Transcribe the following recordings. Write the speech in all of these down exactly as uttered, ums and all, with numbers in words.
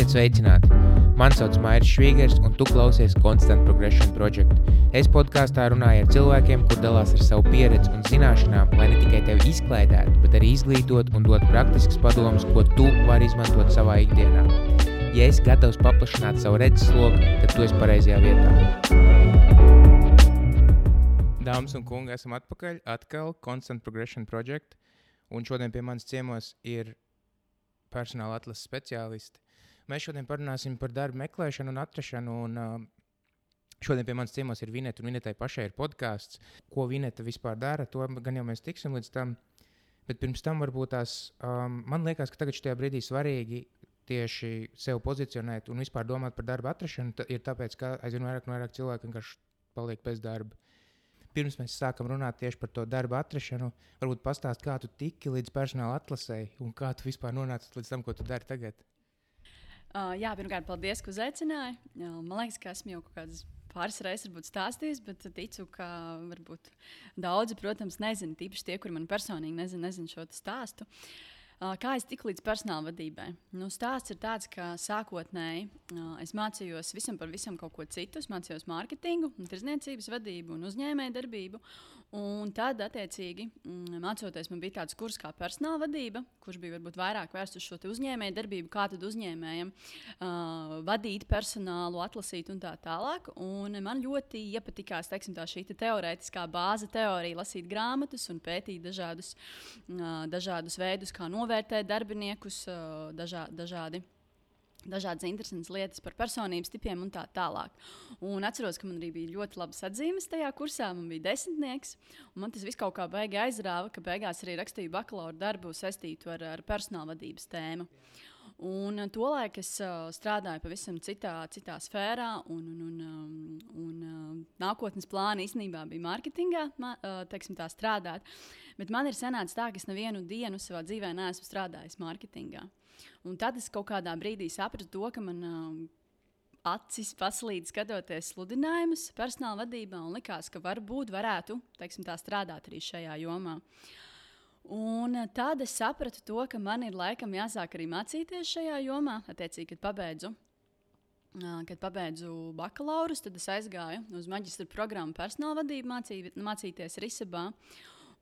Esiet sveicināti! Mani sauc Mairis Švīgers, un tu klausies Constant Progression Project. Es podkāstā runāju ar cilvēkiem, kur dalās ar savu pieredzi un zināšanām, lai ne tikai tevi izklaidētu, bet arī izglītot un dot praktiskas padomas, ko tu vari izmantot savā ikdienā. Ja esi gatavs paplašināt savu redzesloku, tad tu esi pareizajā vietā. Dāmas un kungi, esam atpakaļ, atkal Constant Progression Project, un šodien pie manis ciemos ir personāla atlases speciālisti. Mēs šodien parunāsim par darbu meklēšanu un atrašanu, un uh, šodien pie manis ciemos ir Vineta, un Vinetai pašai ir podcasts. Ko Vineta vispār dara, to gan jau mēs tiksim līdz tam, bet pirms tam varbūt tās, um, man liekas, ka tagad šajā brīdī svarīgi tieši sev pozicionēt un vispār domāt par darbu atrašanu, t- ir tāpēc, ka aizvien vairāk un vairāk cilvēki vienkārši paliek bez darba. Pirms mēs sākam runāt tieši par to darbu atrašanu, varbūt pastāst, kā tu tiki līdz personāla atlasei un kā tu vispār nonāci līdz tam, ko tu dari tagad. Uh, jā, pirmkārt, paldies, ka uzaicināji. Jā, man liekas, ka esmu jau kaut kādas pāris reizes stāstījis, bet ticu, ka varbūt daudzi, protams, nezina, tīpaši tie, kuri man personīgi nezina, nezina šo stāstu. Uh, kā es tiku līdz personāla vadībai? Nu, stāsts ir tāds, ka sākotnēji uh, es mācījos visam par visam kaut ko citu. Es mācījos mārketingu, tirdzniecības vadību un uzņēmējdarbību. Un tad, attiecīgi, mācoties, man bija tāds kurs kā personāla vadība, kurš bija varbūt vairāk vērsts uz šo uzņēmējdarbību, kā tad uzņēmējiem uh, vadīt personālu, atlasīt un tā tālāk. Un man ļoti iepatikās, teiksim, tā šī te teorētiskā bāze teorija, lasīt grāmatas un pētīt dažādus, uh, dažādus veidus, kā novērtēt darbiniekus, uh, dažā, dažādi. Dažādas interesantas lietas par personības tipiem un tā tālāk. Un atceros, ka man arī bija ļoti labas atzīmes tajā kursā. Man bija desmitnieks, un man tas viss kaut kā beigi aizrāva, ka beigās arī rakstīju bakalaura darbu saistītu ar, ar personāla vadības tēmu. Un tolaik es uh, strādāju pavisam citā, citā sfērā, un, un, un, um, un uh, nākotnes plāni īstenībā bija mārketingā, ma, uh, teiksim tā, strādāt. Bet man ir sanācis tā, ka es nevienu dienu savā dzīvē neesmu strādājis mārketingā. Un tad es kaut kādā brīdī sapratu to, ka man uh, acis paslīd skatoties sludinājumus personāla vadībā, un likās, ka varbūt varētu, teiksim tā, strādāt arī šajā jomā. Un tad es sapratu to, ka man ir laikam jāsāk arī mācīties šajā jomā. Attiecīgi, kad pabeidzu, kad pabeidzu bakalaurus, tad es aizgāju uz maģistra programmu personāla vadību mācī, mācīties Risebā.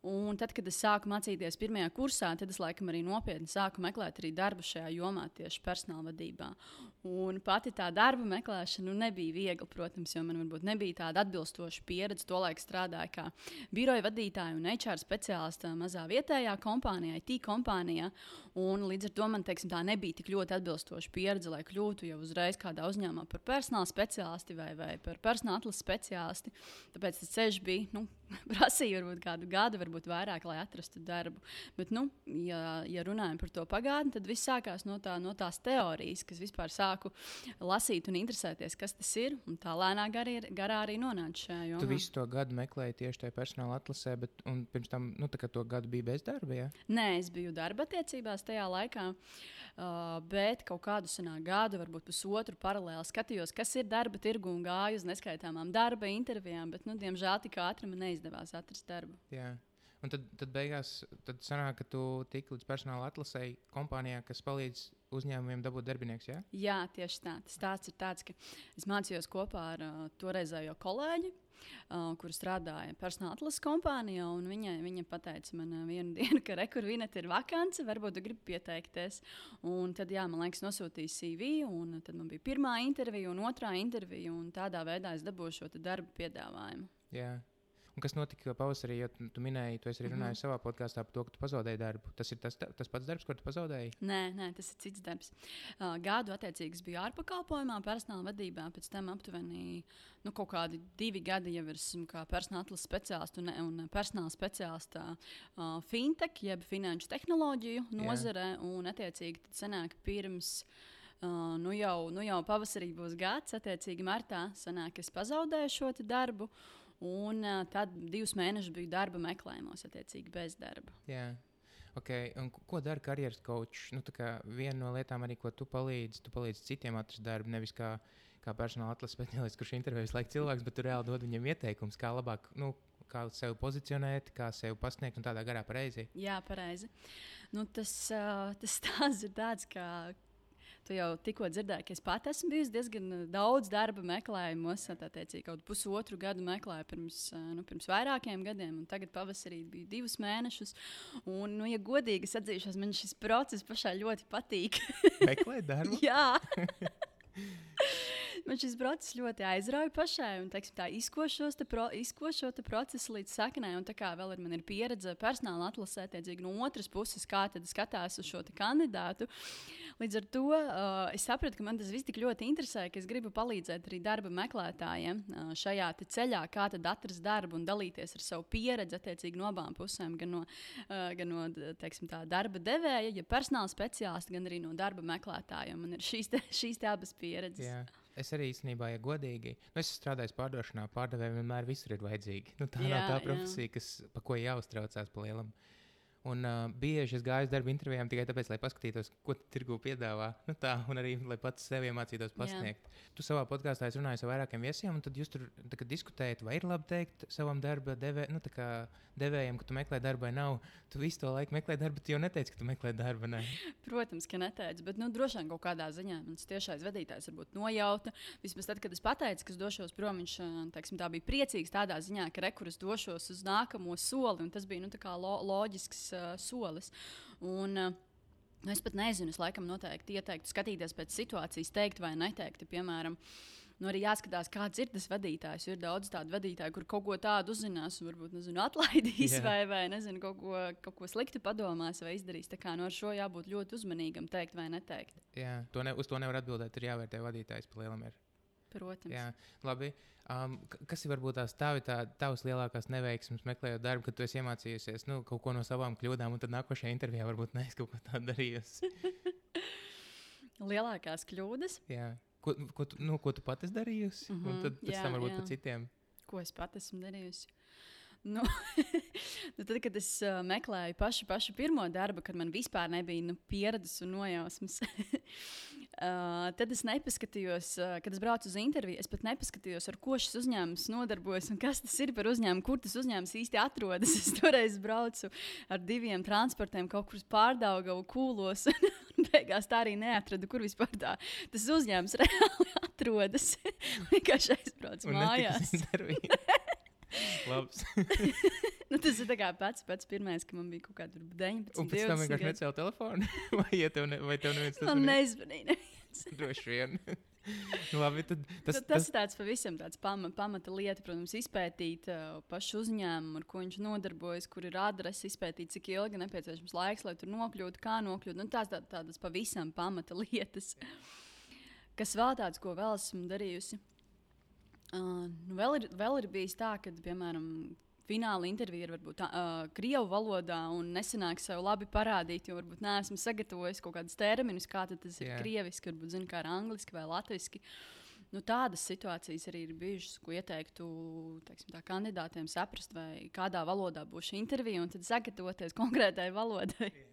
Un tad, kad es sāku mācīties pirmajā kursā, tad es laikam arī nopietni sāku meklēt arī darbu šajā jomā, tieši personāla vadībā. Un pati tā darba meklēšana nu, nebija viegla, protams, jo man varbūt nebija tāda atbilstoša pieredze. Tolaik strādāju kā biroja vadītāja un H R speciālista mazā vietējā kompānijā, I T kompānijā. Un līdz ar to man, teiksim, tā nebija tik ļoti atbilstoša pieredze, lai kļūtu jau uzreiz kādā uzņēmumā par personāla speciālisti vai, vai par personāla atlases speciālisti. Tāpēc tas ceļš bija, nu, prasīja varbūt kādu gadu, varbūt vairāk, lai atrastu darbu. Bet, nu, ja, ja runājam par to pagātni, tad viss sākās no, tā, no tās teorijas, kas vispār sāku lasīt un interesēties, kas tas ir. Un tā lēnā garī, garā arī nonāca šajā jomā. Tu visu to gadu meklēji tieši tajā personāla atlasē, bet un pirms tam, nu, tā kā to gadu bija bez darba, jā? Nē, es biju darba attiecībās tajā laikā, uh, bet kaut kādu senā gadu, varbūt pusotru paralēli skatījos, kas ir darba tirgu un gāju uz neskaitāmām darba intervijām, bet, nu, diemžēl tik ātri man neizdevās atrast darbu. Jā. Un tad, tad beigās tad sanāk, ka tu tiki līdz personāla atlasei kompānijā, kas palīdz uzņēmumiem dabūt darbinieks, jā? Jā, tieši tā. Tas stāsts ir tāds, ka es mācījos kopā ar uh, toreizējo kolēģi, uh, kur strādāja personāla atlases kompānijā, un viņa, viņa pateica man uh, vienu dienu, ka re, kur Vineta ir vakance, varbūt tu gribi pieteikties. Un tad, jā, man liekas, nosūtīja C V, un tad man bija pirmā intervija un otrā intervija, un tādā veidā es dabūju šo darbu piedāvājumu. Jā. Un kas notika pavasarī, jo tu, tu minēji, tu esi arī runājis mm-hmm. savā podkāstā par to, ka tu pazaudēji darbu. Tas ir tas, tas pats darbs, ko tu pazaudēji? Nē, nē, tas ir cits darbs. Uh, gadu attiecīgi biju ārpakalpojumā, personāla vadībā, pēc tam aptuveni nu, kaut kādi divi gadi jau esmu kā personāla atlases speciālists un, un personāla speciālista uh, fintech, jeb finanšu tehnoloģiju nozarē, yeah. Un attiecīgi tad sanāk pirms uh, nu, jau, nu jau pavasarī būs gads, attiecīgi martā sanāk, es pazaudēju šo darbu. Un uh, tad divus mēnešus biju darba meklējumos, attiecīgi bez darba. Jā, ok. Un ko dara karjeras coach? Nu, tā kā viena no lietām arī, ko tu palīdzi, tu palīdzi citiem atrast darbu, nevis kā, kā personāla atlases speciālists, kurš intervējas laika cilvēks, bet tu reāli dod viņam ieteikums, kā labāk, nu, kā sevi pozicionēt, kā sevi pasniegt un tādā garā pareizi. Jā, pareizi. Nu, tas, uh, tas stāsts ir tāds, ka tu jau tikko dzirdēji, ka es pat esmu bijusi diezgan daudz darba meklējumos. Tā teicīgi, kaut pusotru gadu meklēju pirms, nu, pirms vairākiem gadiem, un tagad pavasarī bija divus mēnešus. Un, nu, ja godīgi es atzīšos, man šis process pašai ļoti patīk. Meklēt darbu? Jā. Man šis process ļoti aizrauja pašai, un teiksim, tā izkošos te pro, izkošo te procesu līdz saknei. Un tā kā vēl ir, man ir pieredze personāla atlasē, tiedzīgi no otras puses, kā tad skatās uz šo kandidātu. Līdz ar to uh, es sapratu, ka man tas viss tik ļoti interesē, ka es gribu palīdzēt arī darba meklētājiem uh, šajā ceļā, kā tad atrast darbu un dalīties ar savu pieredzi attiecīgi no abām pusēm, gan no, uh, gan no teiksim, tā, darba devēja, ja personāla speciālista, gan arī no darba meklētājiem. Man ir šīs, te, šīs te abas pieredzes. Jā. Es arī īstenībā, ja godīgi, nu, es strādāju pārdošanā, pārdevēji vienmēr visur ir vajadzīgi. Nu, tā jā, nav tā profesija, kas, pa ko jāuztraucās pa lielam. Un uh, bieži es gāju uz darba intervijām tikai tāpēc, lai paskatītos, ko tirgū piedāvā. Nu, tā, un arī, lai pats sev iemācītos pasniegt. Jā. Tu savā podkāstā runāji ar vairākiem viesiem, un tad jūs tur tā, diskutējat, vai ir labi teikt savam darba devē, nu, devējiem, ka tu meklē darbu vai nav. Tu visu to laiku meklē darbu, bet tu jau neteici, ka tu meklē darbu. Ne? Protams, ka neteicu, bet nu, droši vien kaut kādā ziņā mans tiešais vadītājs varbūt nojauta. Vismaz tad, kad es pateicu, ka es došos prom, viņš teiksim, tā bija priecīgs tādā ziņā, ka rekurus došos uz nākamo soli, un tas bija nu, lo, loģisks uh, solis. Un, uh, Nu, es pat nezinu, es laikam noteikti ieteiktu skatīties pēc situācijas, teikt vai neteikt. Piemēram, nu, arī jāskatās, kāds ir tas vadītājs. Ir daudz tādu vadītāju, kur kaut ko tādu uzzinās, un varbūt nezinu, atlaidīs yeah. vai, vai nezinu, kaut, ko, kaut ko sliktu padomās vai izdarīs. Tā kā no ar šo jābūt ļoti uzmanīgam, teikt vai neteikt. Jā, to ne, uz to nevar atbildēt. Ir jāvērtē vadītājs pa lielam. Ir. Protams. Jā, labi. Um, kas ir varbūt tās tavi, tā, tavas lielākās neveiksmes meklējot darbu, kad tu esi iemācījusies nu, kaut ko no savām kļūdām, un tad nākošajā intervijā varbūt neesi kaut ko tādu darījusi? Lielākās kļūdas? Jā. Ko, ko, tu, nu, ko tu pati esi darījusi? Mm-hmm. Un tad pēc jā, tam varbūt jā. Pa citiem. Ko es pati esmu darījusi? Nu, nu tad, kad es uh, meklēju pašu, pašu pirmo darbu, kad man vispār nebija nu, pieredzes un nojausmas, uh, tad es nepaskatījos, uh, kad es braucu uz interviju, es pat nepaskatījos, ar ko šis uzņēmums nodarbojas un kas tas ir par uzņēmumu, kur tas uzņēmums īsti atrodas. Es toreiz braucu ar diviem transportiem kaut kur uz Pārdaugavu, Kūlos, un beigās tā arī neatradu, kur vispār tā tas uzņēmums reāli atrodas. Vienkārši aizbraucu mājās. Nu, tas ir pats, pats pirmais, ka man bija kaut kāda deviņpadsmit. Un pēc tam vienkārši necēla telefonu? Vai, ja tev, ne, vai tev neviens tas man nezvanīja? Neviens. Droši vien. Labi, tad, tas, tad, tas ir tāds pavisam tāds pama, pamata lieta, protams, izpētīt uh, pašu uzņēmumu, ar ko viņš nodarbojas, kur ir adrese, izpētīt, cik ilgi nepieciešams laiks, lai tur nokļūtu, kā nokļūt. Nu, tās tā, tādas pavisam pamata lietas. Kas vēl tāds, ko vēl esmu darījusi? Uh, nu vēl, ir, vēl ir bijis tā, ka, piemēram, fināla intervija ir varbūt tā, uh, krievu valodā un nesanāk sev labi parādīt, jo varbūt neesmu sagatavojis kaut kādus terminus, kā tas ir yeah. krieviski, varbūt zinu, kā ir angliski vai latviski. Nu, tādas situācijas arī ir bijušas, ko ieteiktu teiksim, tā, kandidātiem saprast, vai kādā valodā būs šī intervija, un tad sagatavoties konkrētai valodai. Yeah.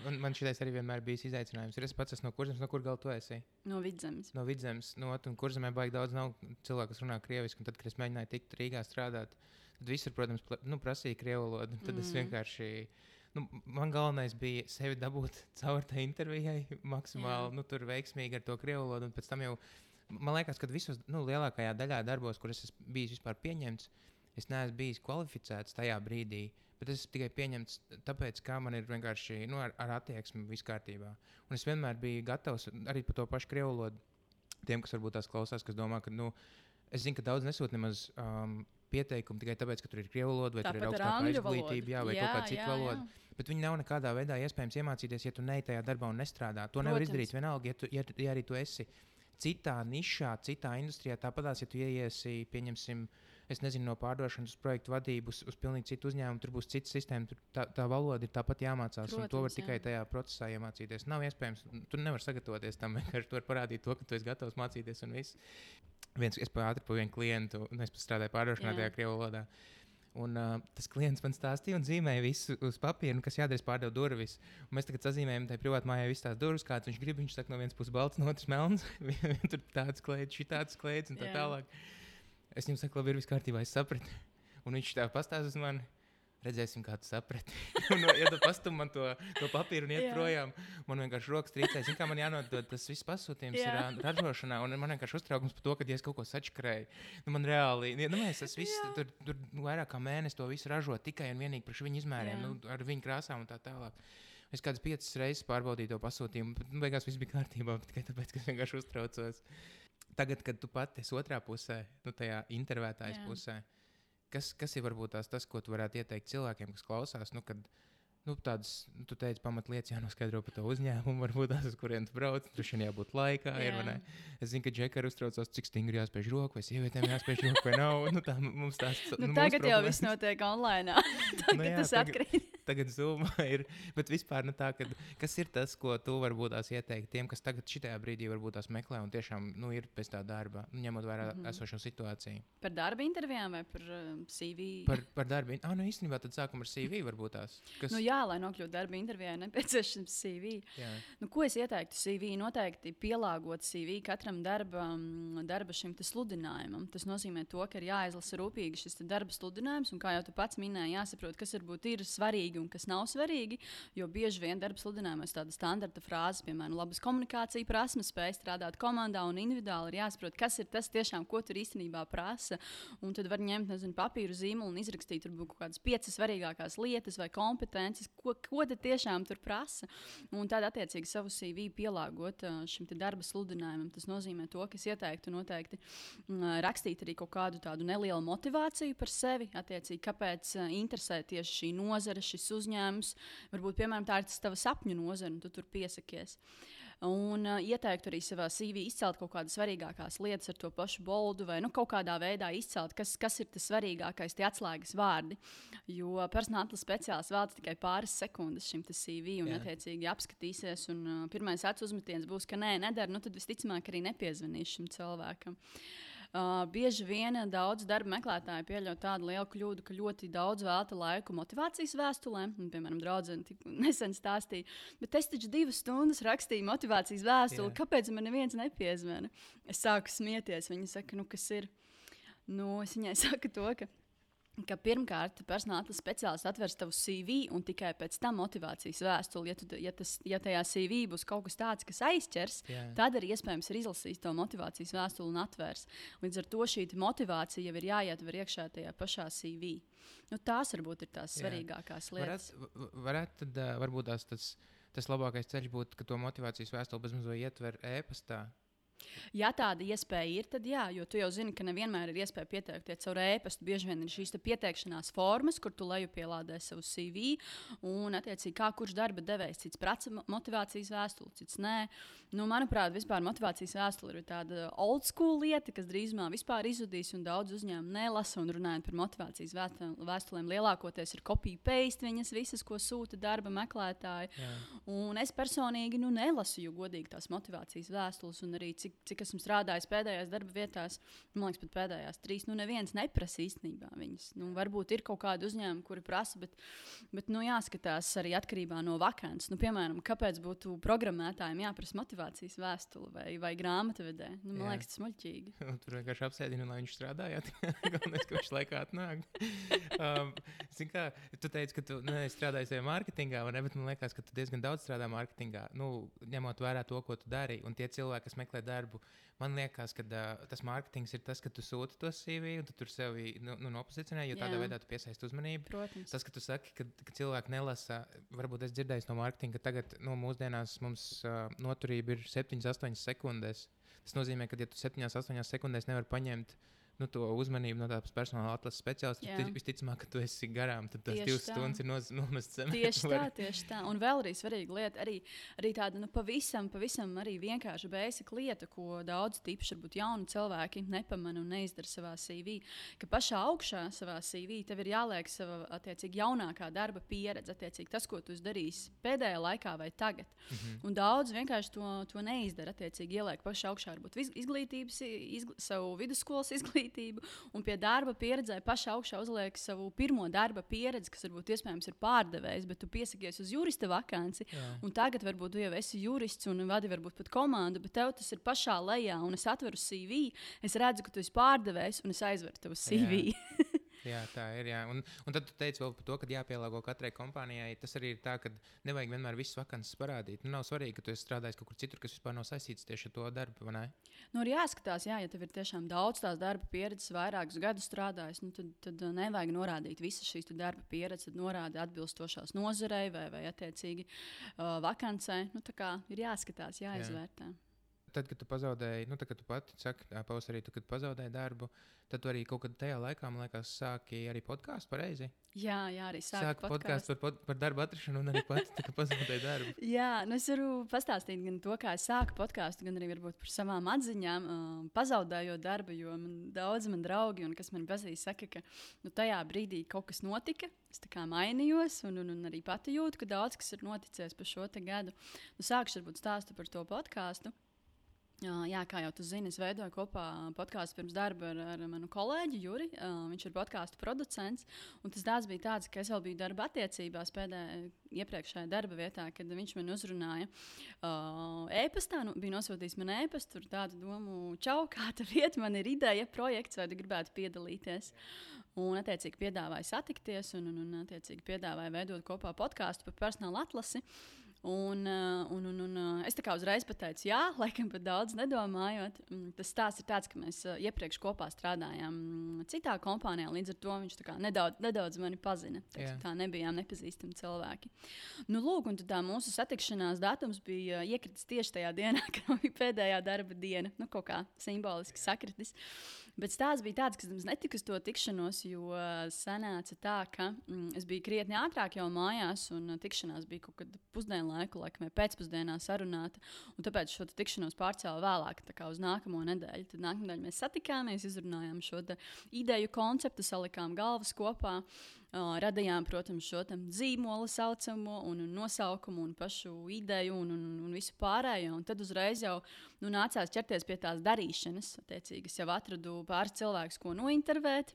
Un man šitais arī vienmēr bijis izaicinājums. Es pats esmu no Kurzemes, no kur gal tu esi? No Vidzemes. No Vidzemes. No, un Kurzemē baigi daudz nav cilvēku, kas runā krieviski, un tad, kad es mēģināju tikt Rīgā strādāt, tad visur, protams, pla, nu, prasīja krievu valodu. Tad mm. es vienkārši, nu, man galvenais bija sevi dabūt caur tai intervijai maksimāli, yeah. nu, tur veiksmīgi ar to krievu valodu, un pēc tam jau, man liekas, ka visos, nu, lielākajā daļā darbos, kur es esmu bijis vispār pieņemts, es neesmu bijis kvalificēts tajā brīdī. Bet es tikai pieņemts, tāpēc, ka man ir vienkārši nu, ar, ar attieksmi viss kārtībā. Un es vienmēr biju gatavs arī par to pašu krievu valodu. Tiem, kas varbūt tās klausās, kas domā, ka, nu, es zinu, ka daudz nesūt nemaz um, pieteikumu tikai tāpēc, ka tur ir krievu valoda vai tāpat tur ir augstākā izglītība, jā, vai jā, kaut kāda cita valoda. Bet viņi nav nekādā veidā iespējams iemācīties, ja tu neej tajā darbā un nestrādā. To Protams. Nevar izdarīt vienalga, ja, tu, ja, ja arī tu esi citā nišā, citā industrijā. Tāpatās, ja tu ieiesi, pieņemsim, es nezinu, no pārdošanas uz projektu vadību, uz, uz pilnīgi citu uzņēmumu, tur būs cita sistēma, tur tā, tā valoda ir tāpat jāmācās, Protams, un to var tikai jā. Tajā procesā iemācīties. Nav iespējams, tu nevari sagatavoties tam, vienkārši tu vari parādīt to, ka tu esi gatavs mācīties un viss. Viens, es pa ātri pa vienu klientu, un es strādāju pārdošanā tajā krievu valodā. Un uh, tas klients man stāstīja un zīmēja visu uz papīra, kas jādara, pārdev durvis. Un mēs tagad sazīmējam tajā privātu mājā visas tās durvis, kāds viņš grib. Viņš saka, no vienas puses balts, no otras melns. Tur tāds klēds, šitāds klēds un tā yeah. tālāk. Es viņam saku, labi, ir viss kārtībā, es sapratu. Un viņš tā pastāsta uz mani. Redzēsim, kā tu saprati. Un, ja tu pastum man to, to papīru un iet Jā. projām, man vienkārši rokas trīcē. Zini, kā man jānodod tas viss pasūtījums Jā. ir ā, ražošanā, un man vienkārši uztraukums par to, ka ja es kaut ko sačakrēju. Nu, man reāli, nu, mēs tas viss, Jā. tur, tur vairāk kā mēnesi to visu ražo tikai un vienīgi priekš viņu izmēriem, Jā. nu, ar viņu krāsām un tā tālāk. Es kādas piecas reizes pārbaudīju to pasūtījumu, bet nu, beigās viss bija kārtībā, tikai tāpēc, ka es vienkārši uztraucos. Tagad, kad tu pati esi otrā pusē, nu, tajā intervētājas Jā. pusē, kas, kas ir varbūt tās tas, ko tu varētu ieteikt cilvēkiem, kas klausās, nu, kad, nu, tādas, nu, tu teici, pamatlietas jānoskaidro par to uzņēmumu, varbūt tās, uz kurien tu brauc, tur šodien jābūt laikā, ir, vai ne? Es zinu, ka Džeka ir uztraucās, cik stingri jāspēj roku, vai sievietēm jāspēj roku, vai nav, nu, tā mums tās, Nu, nu, tagad mūsu jau problēmas. viss notiek online. Tagad Nu jā, tas tagad- atkrīt. Tagad Zoomā ir, bet vispār, nu, tā, kad, kas ir tas, ko tu varbūt tās ieteikt tiem, kas tagad šitajā brīdī varbūt tās meklē un tiešām, nu, ir pēc tā darba, nu, ņemot vērā Mhm. esošo situāciju. Par darba intervijām vai par um, C V? Par, par darbu. Ah, nu īstenībā tad sākam ar C V varbūt tās. Kas, Nu, jā, lai nokļūtu darba intervijā, ir nepieciešams C V. jā. Nu, ko es ieteiktu C V? Noteikti pielāgot C V katram darba, mm, darba šim te sludinājumam. Tas nozīmē to, ka ir jāizlasa rūpīgi šis te darba sludinājums, un kā jau tu pats minēji, jāsaprot, kas varbūt ir svarīgi un kas nav svarīgi. Jo bieži vien darba sludinājumos tāda standarta frāze, piemēram, labas komunikācija prasmes, spēj strādāt komandā un individuāli, ir jāsaprot, kas ir tas tiešām, ko tur īstenībā prasa. Un tad var ņemt, nezinu, papīru zīmolu un izrakstīt varbūt kaut kādas piecas svarīgākās lietas vai kompetences, ko, ko tad tiešām tur prasa. Un tad attiecīgi savu C V pielāgot ā, šim te darba sludinājumam. Tas nozīmē to, ka es ieteiktu noteikti mm, rakstīt arī kaut kādu tādu nelielu motivāciju par sevi, attiecīgi, kāpēc ā, interesē tieši šī nozare, šis uzņēmums. Varbūt, piemēram, tā ir tas tava sapņu nozara, un tu tur piesakies. Un uh, ieteiktu arī savā C V izcelt kaut kādas svarīgākās lietas ar to pašu boldu, vai nu, kaut kādā veidā izcelt, kas, kas ir tas svarīgākais, tie atslēgas vārdi. Jo personāla atlases speciālists veltīja tikai pāris sekundes šim C V, un, Jā. attiecīgi, apskatīsies. Un, uh, pirmais acu uzmetiens būs, ka nē, nedara, nu, tad visticamāk arī nepiezvanīs šim cilvēkam. Uh, bieži vien daudz darba meklētāji pieļauj tādu lielu kļūdu, ka ļoti daudz velta laiku motivācijas vēstulēm. Un, piemēram, draudzene tik nesen stāstīja, bet es taču divas stundas rakstīju motivācijas vēstuli. Jā. Kāpēc man neviens nepiezvana? Es sāku smieties. Viņa saka, nu, kas ir? Nu, es viņai saku to, ka. Ka pirmkārt, personāla atlases speciālists atvers tavu C V un tikai pēc tam motivācijas vēstuli. Ja, tu, ja, tas, ja tajā C V būs kaut kas tāds, kas aizķers, Jā. tad arī iespējams ir izlasījis to motivācijas vēstuli un atvērs. Līdz ar to šī motivācija jau ir jāietver iekšā tajā pašā C V. Nu, tās varbūt ir tās Jā. svarīgākās lietas. Varētu, va- varētu tad, uh, varbūt tās, tas, tas labākais ceļš būtu, ka to motivācijas vēstuli bezmazliet ietver e-pastā. Ja tāda iespēja ir, tad jā, jo tu jau zini, ka nevienmēr ir iespēja pieteikties caur e-pastu. Bieži vien ir šīs te pieteikšanās formas, kur tu lejupielādē savu C V, un, attiecīgi, kā kurš darba devējs, cits prasa mo- motivācijas vēstuli, cits nē. Nu, manuprāt, vispār motivācijas vēstule ir tāda old school lieta, kas drīzumā vispār izzudīs, un daudz uzņēmumu nelasa. Un runājot par motivācijas vēstu- vēstulēm, lielākoties ir copy-paste viņas visas, ko sūta darba meklētāji. Jā. Un es personīgi nu, nelasu, jo godīgi tās motivācijas vēstules, un arī cik, cik esmu strādājis pēdējās darba vietās, man liekas, pat pēdējās trīs, nu neviens neprasa īstenībā viņas. Nu, varbūt ir kaut kādi uzņēmumi, kuri prasa, bet, bet nu, jāskatās arī atkarībā no vakances. Nu, piemēram, kāpēc būtu programmētājiem jāprasa motivācijas vēstule vai, vai grāmatvedē? Nu, man Jā. liekas, tas muļķīgi. Un tur vienkārši apsēdinu, lai viņš strādājot. Galvenais, ka viņš laikā atnāk. Um, zini kā, tu teici, ka tu ne, strādāji savā mārketingā, vai ne? Bet man liekas, ka tu diezgan daudz strādā mārketingā. Nu, ņemot vērā to, ko tu dari, un tie cilvēki, kas meklē darbu, man liekas, ka uh, tas mārketings ir tas, ka tu sūti to C V, un tu tur sevi nu, nu, nopozicionē, jo tādā Jā. veidā tu piesaisti uzmanību. Protams. Tas, ka tu saki, ka, ka cilvēki nelasa, varbūt es dzirdēju no mārketinga, ka tagad nu, mūsdienās mums uh, noturība ir septiņas, astoņas sekundes. Tas nozīmē, ka ja tu septiņās, astoņās sekundēs nevari paņemt nu, to uzmanību no tādas personāla atlases speciālista, Jā. tad visticamāk, ka tu esi garām, tad tās Tieši divas tā. stundas ir noz- nomestas zemē. Tieši Tu tā, vari- tieši tā. Un vēl arī svarīga lieta, arī, arī tāda nu, pavisam, pavisam arī vienkārša basic lieta, ko daudz tīpaši varbūt jauni cilvēki nepamana un neizdara savā C V. Ka pašā augšā savā C V tev ir jāliek sava attiecīgi jaunākā darba pieredze, attiecīgi tas, ko tu esi darījis pēdējā laikā vai tagad. Mhm. Un daudz vienkārši to, to neizdara. Attiecīgi ieliek pašā augšā varbūt iz- izglītības, izgl savu vidusskolas izglītību. Un pie darba pieredzē pašā augšā uzliek savu pirmo darba pieredzi, kas varbūt iespējams ir pārdevējs, bet tu piesakies uz jurista vakanci. Jā. Un tagad varbūt tu jau esi jurists un vadi varbūt pat komandu, bet tev tas ir pašā lejā. Un es atveru C V, es redzu, ka tu esi pārdevējs un es aizveru tavu C V. Jā, tā ir. Jā. Un, un tad tu teici vēl par to, ka jāpielāgo katrai kompānijai. Tas arī ir tā, ka nevajag vienmēr visas vakances parādīt. Nu, nav svarīgi, ka tu esi strādājis kaut kur citur, kas vispār nav saistīts tieši ar to darbu, vai ne? Nu, ir jāskatās, jā, ja tev ir tiešām daudz tās darba pieredzes, vairākus gadus strādājis, nu, tad, tad nevajag norādīt visas šīs darba pieredzes, tad norādi atbilstošās nozarei vai, vai attiecīgi uh, vakancei. Nu, tā kā ir jāskatās, jāizvērtē. Jā. Tad, kad tu pazaudēji, nu, tad, kad tu pati saki, pavasarī, tu, kad pazaudēji darbu, tad tu arī kaut kad tajā laikā, man liekas, sāki arī podkāstu pareizi. Jā, jā, arī sāku Sāki podkāstu par, par darbu atrašanu un arī pati, tā, kad pazaudēji darbu. Jā, nu es varu pastāstīt gan to, kā es sāku podkāstu, gan arī varbūt par savām atziņām, uh, pazaudējot darbu, jo man daudz man draugi, un kas man pazīst, saka, ka nu, tajā brīdī kaut kas notika, es tā kā mainījos, un, un, un arī pati jūtu, ka daudz kas ir noticies pa šo te gadu. Nu, sākšu varbūt stāstu par to podkāstu. Jā, kā jau tu zini, es veidoju kopā podkāstu pirms darba ar, ar manu kolēģi Juri. Uh, viņš ir podkāstu producents. Tas darbs bija tāds, ka es vēl biju darba attiecībās pēdējā iepriekšējā darba vietā, kad viņš man uzrunāja uh, e-pastā. Nu, bija nosūtījis man e-pastu, tur tādu domu, čau, kā tev iet, man ir ideja, projekts, vai tu gribētu piedalīties. Un, attiecīgi, piedāvāja satikties un, un, un attiecīgi, piedāvāja veidot kopā podkāstu par personāla atlasi. Un, un, un, un es tā kā uzreiz pateicu, jā, laikam pat daudz nedomājot. Tas stāsts ir tāds, ka mēs iepriekš kopā strādājām citā kompānijā, līdz ar to viņš tā kā nedaudz, nedaudz mani pazina. Teiks, tā nebijām nepazīstami cilvēki. Nu, lūk, un tā mūsu satikšanās datums bija iekritis tieši tajā dienā, kad bija pēdējā darba diena. Nu, kaut kā simboliski sakritis. Bet stāsts bija tāds, ka es netiku uz to tikšanos, jo sanāca tā, ka mm, es biju krietni ātrāk jau mājās, un tikšanās bija kaut kad pusdienu laiku, laikam, pēcpusdienā sarunāta. Tāpēc šo tikšanos pārcēla vēlāk, tā kā uz nākamo nedēļu. Tad nākamā nedēļa mēs satikāmies, izrunājām šo ideju konceptu, salikām galvas kopā. Uh, radījām, protams, šo zīmolu saucamo un, un nosaukumu un pašu ideju un, un, un visu pārējo. Un tad uzreiz jau nu, nācās ķerties pie tās darīšanas. Attiecīgi, es jau atradu pāris cilvēkus, ko nointervēt.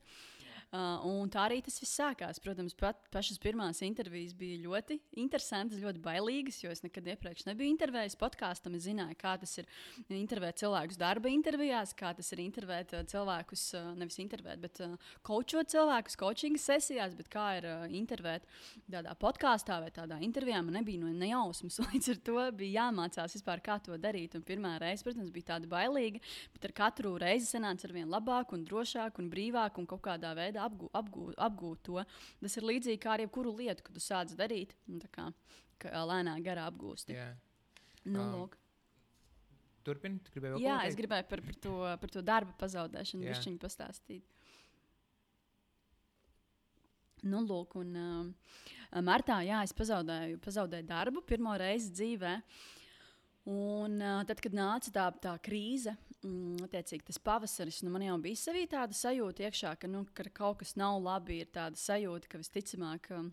Uh, un tā arī tas viss sākās. Protams, pat pašas pirmās intervijas bija ļoti interesantas, ļoti bailīgas, jo es nekad iepriekš nebiju intervējis podkāstam. Es zināju, kā tas ir intervēt cilvēkus darba intervijās, kā tas ir intervēt uh, cilvēkus, uh, nevis intervēt, bet uh, coachot cilvēkus, coachinga sesijās, bet kā ir uh, intervēt tādā podkāstā vai tādā intervijā. Man nebija no nejausmas, līdz ar to bija jāmācās vispār, kā to darīt. Un pirmā reize, protams, bija tāda bailīga, bet ar katru reizi sanāca ar vien labāk un drošāk un brīvāk un kaut kādā veidā Apgūt, apgūt, apgūt to. Tas ir līdzīgi kā ar jebkuru lietu, ko tu sāc darīt, un tā kā lēnā garā apgūsti. Jā. Nu, um, Turpini, tu gribēji vēl Jā, ko teikt? es gribēju par, par, to, par to darba pazaudēšanu bišķiņu pastāstīt. Nu, lūk, un uh, martā, jā, es pazaudēju, pazaudēju darbu pirmo reizi dzīvē. Un uh, tad, kad nāca tā, tā krīze, mm, attiecīgi tas pavasaris, nu, man jau bija sevī tāda sajūta iekšā, ka, nu, ka kaut kas nav labi, ir tāda sajūta, ka visticamāk uh,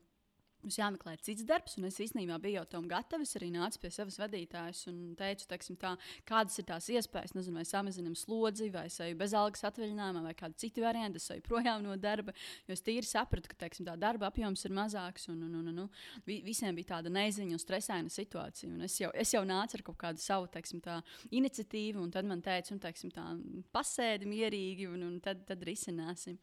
mums jāmeklē cits darbs, un es īstenībā biju jau tam gatava. Es arī nācu pie savas vadītājas un teicu, teiksim, tā, kādas ir tās iespējas, nezinu, vai samazinām slodzi, vai es eju bezalgas atvaļinājumā, vai kādi citi varianti, es eju projām no darba, jo es tīri sapratu, ka, teiksim, tā darba apjoms ir mazāks, un, un, un, un, un visiem bija tāda neziņa un stresaina situācija, un es jau, es jau nācu ar kaut kādu savu, teiksim, tā iniciatīvu, un tad man teica, un, teiksim, tā, pasēdi mierīgi, un, un tad, tad risināsim.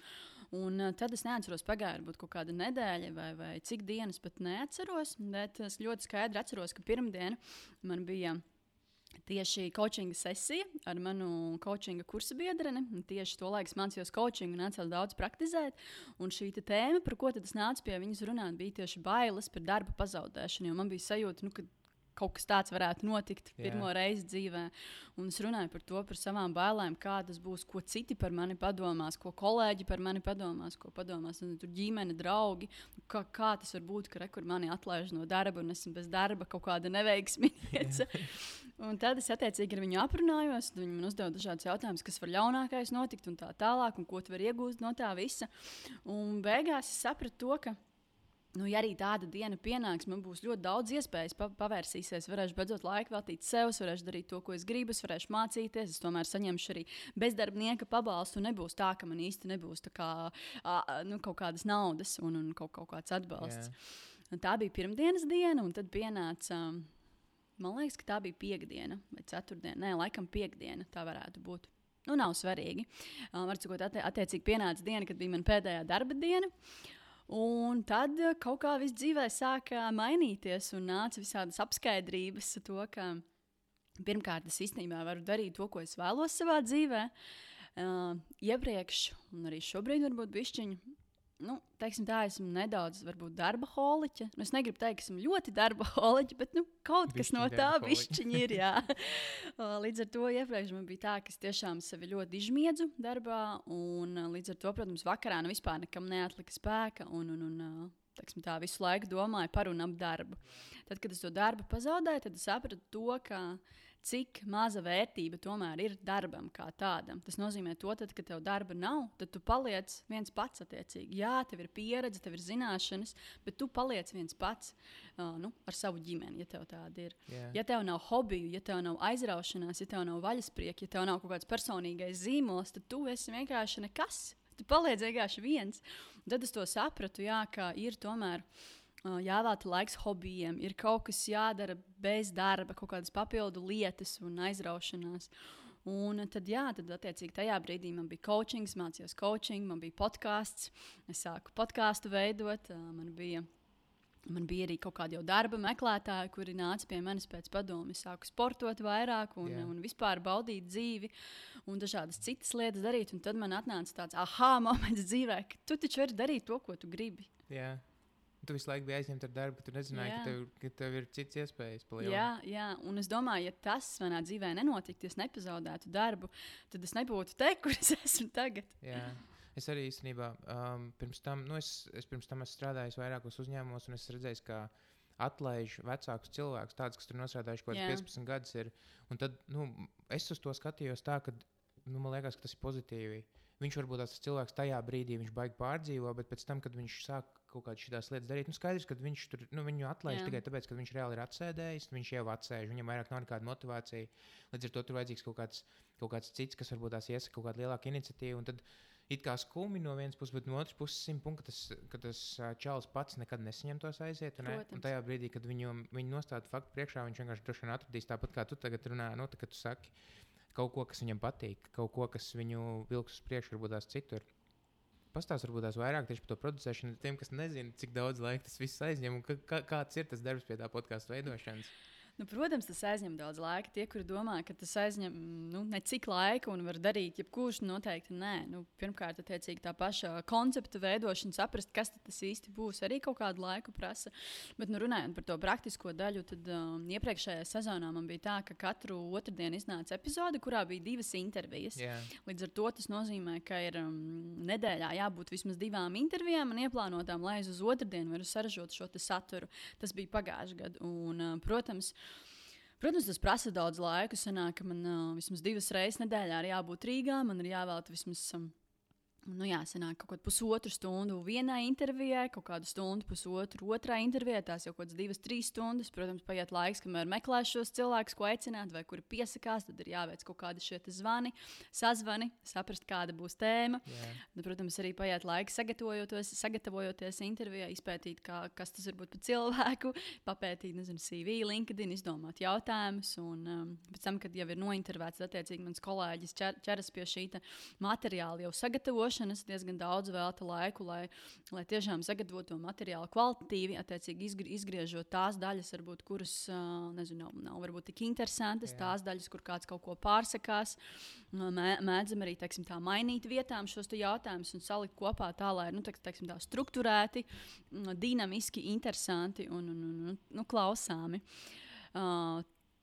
Un uh, tad es neatceros, pagāja varbūt kaut kāda nedēļa vai, vai cik dienas pat neatceros, bet es ļoti skaidri atceros, ka pirmdiena man bija tieši coachinga sesija ar manu coachinga kursa biedreni. Tieši to laiku es mācījos coachingu un nācās daudz praktizēt. Un šī tēma, par ko tad es nācu pie viņas runāt, bija tieši bailes par darba pazaudēšanu, jo man bija sajūta, nu, ka kaut kas tāds varētu notikt pirmo yeah. reizi dzīvē. Un es runāju par to, par savām bailēm, kā tas būs, ko citi par mani padomās, ko kolēģi par mani padomās, ko padomās un, tur ģimene, draugi. Kā, kā tas var būt, ka rekur mani atlaiž no darba un esmu bez darba, kaut kāda neveiksmīga. Yeah. Un tad es attiecīgi ar viņu aprunājos, viņi man uzdeva dažādus jautājumus, kas var ļaunākais notikt un tā tālāk, un ko tu vari iegūst no tā visa. Un beigās es sapratu to, ka nu, ja arī tāda diena pienāks, man būs ļoti daudz iespējas pa pavērsīsies. Varēšu beidzot laiku veltīt sev, varēšu darīt to, ko es gribu, es varēšu mācīties. Es tomēr saņemšu arī bezdarbnieka pabalstu. Nebūs tā, ka man īsti nebūs tā kā, a, nu, kaut kādas naudas un, un kaut, kaut kāds atbalsts. Yeah. Tā bija pirmdienas diena, un tad pienāca, man liekas, ka tā bija piekdiena vai ceturtdiena. Nē, laikam piekdiena tā varētu būt. Nu, nav svarīgi. Uh, var cikot, attie attiecīgi pienāca diena, kad bija mana pēdējā darba diena. Un tad kaut kā viss dzīvē sāka mainīties un nāca visādas apskaidrības to, ka pirmkārt es īstenībā varu darīt to, ko es vēlos savā dzīvē. Uh, iepriekš, un arī šobrīd varbūt bišķiņu, nu, teiksim tā, esmu nedaudz, varbūt, darba holiķa. Nu, es negribu teikt, ka esmu ļoti darba holiķa, bet, nu, kaut kas no tā bišķiņa ir, jā. Līdz ar to iepriekš man bija tā, ka es tiešām sevi ļoti izmiedzu darbā, un līdz ar to, protams, vakarā nu vispār nekam neatlika spēka, un, un, un teiksim tā, visu laiku domāju par un ap darbu. Tad, kad es to darbu pazaudēju, tad es sapratu to, ka cik maza vērtība tomēr ir darbam kā tādam. Tas nozīmē to, tad, kad tev darba nav, tad tu paliec viens pats attiecīgi. Jā, tev ir pieredze, tev ir zināšanas, bet tu paliec viens pats uh, nu, ar savu ģimeni, ja tev tāda ir. Yeah. Ja tev nav hobiju, ja tev nav aizraušanās, ja tev nav vaļasprieki, ja tev nav kaut kāds personīgais zīmols, tad tu esi vienkārši nekas. Tu paliec vienkārši viens. Un tad es to sapratu, jā, ka ir tomēr jāvēlta laiks hobijiem, ir kaut kas jādara bez darba, kaut kādas papildu lietas un aizraušanās. Un tad, jā, tad attiecīgi tajā brīdī man bija coachings, mācījos coaching, man bija podcasts, es sāku podcastu veidot, man bija, man bija arī kaut kādi jau darba meklētāji, kuri nāca pie manis pēc padomu. Es sāku sportot vairāk un, yeah. un vispār baudīt dzīvi un dažādas citas lietas darīt. Un tad man atnāca tāds aha moments dzīvē, ka tu taču vari darīt to, ko tu gribi. Yeah. Tu visu laiku biji aizņemta ar darbu, tu nezināji, ka tev, ka tev ir cits iespējas palielināt. Jā, jā, un es domāju, ja tas manā dzīvē nenotiktu, ja es nepazaudētu darbu, tad es nebūtu te, kur es esmu tagad. Jā, es arī īstenībā um, pirms tam, nu es, es pirms tam esmu strādājis vairākos uzņēmumos, un es redzēju, ka atlaiž vecākus cilvēkus, tādus, kas tur nosrādājuši kaut kāds piecpadsmit gadus ir. Un tad, nu, es uz to skatījos tā, ka, nu, man liekas, ka tas ir pozitīvi. Viņš varbūt tas cilvēks tajā brīdī, viņš baigi pārdzīvo, bet pēc tam, kad viņš sāk kaut kādas šīs lietas darīt, nu skaidrs, ka viņš tur, nu, viņu atlaiž tikai tāpēc, ka viņš reāli ir atsēdējis, viņš jau atsēž, viņam vairāk nav nekāda motivācija. Līdz ar to tur vajadzīgs kaut kāds, kaut kāds cits, kas varbūt tās iesaka kaut kādu lielāku iniciatīvu. Un tad it kā skumi no vienas puses, bet no otras puses simt punkti, ka tas, ka tas čalis pats nekad nesaņem tos aiziet. Un, un tajā brīdī, kad viņu, viņu nostāda faktu priekšā, viņš vienkārši droši vien atradīs tāpat, kā tu tagad runā, nu, tā, kad tu saki kaut ko, kas viņam patīk, kaut ko, kas viņu vilks uz priekšu, varbūt tās citur. Pastāst varbūt tās vairāk tieši par to producēšanu, tiem, kas nezina, cik daudz laika tas viss aizņem un kā, kāds ir tas darbs pie tā podcastu veidošanas. Nu, protams, tas aizņem daudz laika. Tie, kuri domā, ka tas aizņem nu, necik laika un var darīt jebkurš, noteikti nē. Nu, pirmkārt, attiecīgi tā paša koncepta veidošana, saprast, kas tas īsti būs, arī kaut kādu laiku prasa. Bet, nu, runājot par to praktisko daļu, tad um, iepriekšējā sezonā man bija tā, ka katru otrdienu iznāca epizode, kurā bija divas intervijas. Yeah. Līdz ar to tas nozīmē, ka ir um, nedēļā jābūt vismaz divām intervijām un ieplānotām, lai uz otrdienu varu saražot šo saturu. Tas bija pagājušajā gadā. Un, uh, protams, Protams, tas prasa daudz laika. Sanāk, ka man uh, vismaz divas reizes nedēļā ir jābūt Rīgā. Man ir jāvēlta vismaz um, nu, jā, sanāk, kaut kādu pusotru stundu vienai intervijai, kaut kādu stundu, pusotru otrai intervijai. Tās jau kaut kādas divas, trīs stundas. Protams, paiet laiks, kamēr meklēs šos cilvēkus, ko aicināt, vai kuri piesakās. Tad ir jāveic kaut kādi šie zvani, sazvani, saprast, kāda būs tēma. Yeah. Tad, protams, arī paiet laiks sagatavojoties, sagatavojoties intervijai, izpētīt, kā, kas tas var būt par cilvēku, papētīt, nezinu, C V, LinkedIn, izdomāt jautājumus. Un um, pēc tam, kad jau ir nointervēts, attiecīgi mans kolēģis ķer, ķeras pie šī materiāla jau sagatavošanas, diezgan daudz velta laiku, lai, lai tiešām sagatavotu to materiālu kvalitatīvi, attiecīgi izgr izgriežot tās daļas, varbūt, kuras uh, nezinu, nav, nav varbūt tik interesantas, Jā. Tās daļas, kur kāds kaut ko pārsakās. Mē, mēdzam arī, teiksim, tā mainīt vietām šos jautājumus un salikt kopā tā, lai, nu, teiksim, tā strukturēti, dinamiski, interesanti un, un, un, un nu, klausāmi. Uh,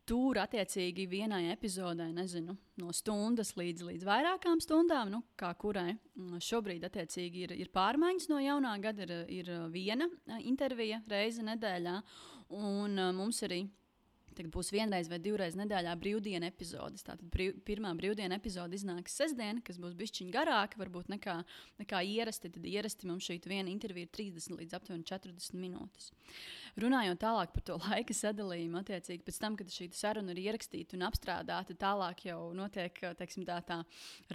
Tur, attiecīgi, vienai epizodē, nezinu, no stundas līdz, līdz vairākām stundām, nu, kā kurai šobrīd, attiecīgi, ir, ir pārmaiņas no jaunā gada, ir, ir viena intervija reize nedēļā, un mums arī tagad būs vienreiz vai divreiz nedēļā brīvdiena epizodes. Tātad brīv, pirmā brīvdiena epizode iznāks sestdien, kas būs bišķiņ garāka, varbūt nekā, nekā ierasti. Tad ierasti mums šī viena intervija ir trīsdesmit līdz aptuveni četrdesmit minūtes. Runājot tālāk par to laika sadalījumu, attiecīgi pēc tam, kad šī saruna ir ierakstīta un apstrādāta, tālāk jau notiek, teiksim, tā, tā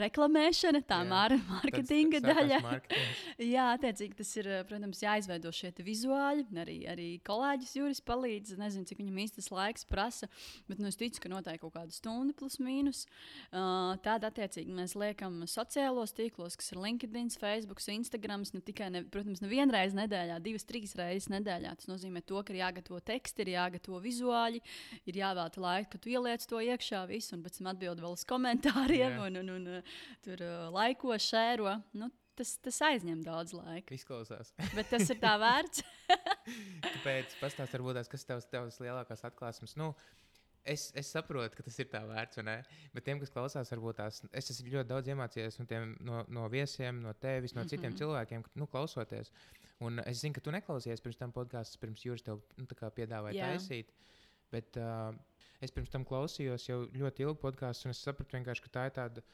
reklamēšana, tā māra marketinga daļa. Jā, attiecīgi tas ir, protams, jāizveido šie vizuāļi, arī, arī kolēģis Juris palīdz, nezinu, cik viņam īstas laiks prasa. Bet nu, es ticu, ka noteikti kaut kāda stunda plus mīnus. Uh, Tāda attiecīgi mēs liekam sociālos tīklos, kas ir LinkedIn, Facebook, Instagram. Ne tikai, ne, protams, nevienu reizi nedēļā, divas, trīs reizes nedēļā. Tas nozīmē to, ka ir jāgatavo teksti, ir jāgatavo vizuāļi, ir jāvēlta laika, ka tu ieliec to iekšā visu un pēc tam atbild vēl uz komentāriem yeah. un, un, un tur uh, laiko, šēro. Nu, Tas, tas aizņem daudz laika. Izklausās. Bet tas ir tā vērts. Kāpēc? Pastāst, varbūt tās, kas tavs, tavs lielākās atklāsmes. Nu, es, es saprotu, ka tas ir tā vērts, un, bet tiem, kas klausās, varbūt tās, es esmu ļoti daudz iemācījies no, tiem, no, no viesiem, no tevis, no citiem mm-hmm. cilvēkiem, nu, klausoties. Un es zinu, ka tu neklausies pirms tam podkāstus, pirms Juris tev nu, piedāvāja yeah. taisīt. Bet uh, es pirms tam klausījos jau ļoti ilgu podkāstu, un es sapratu vienkārši, ka tā ir tāda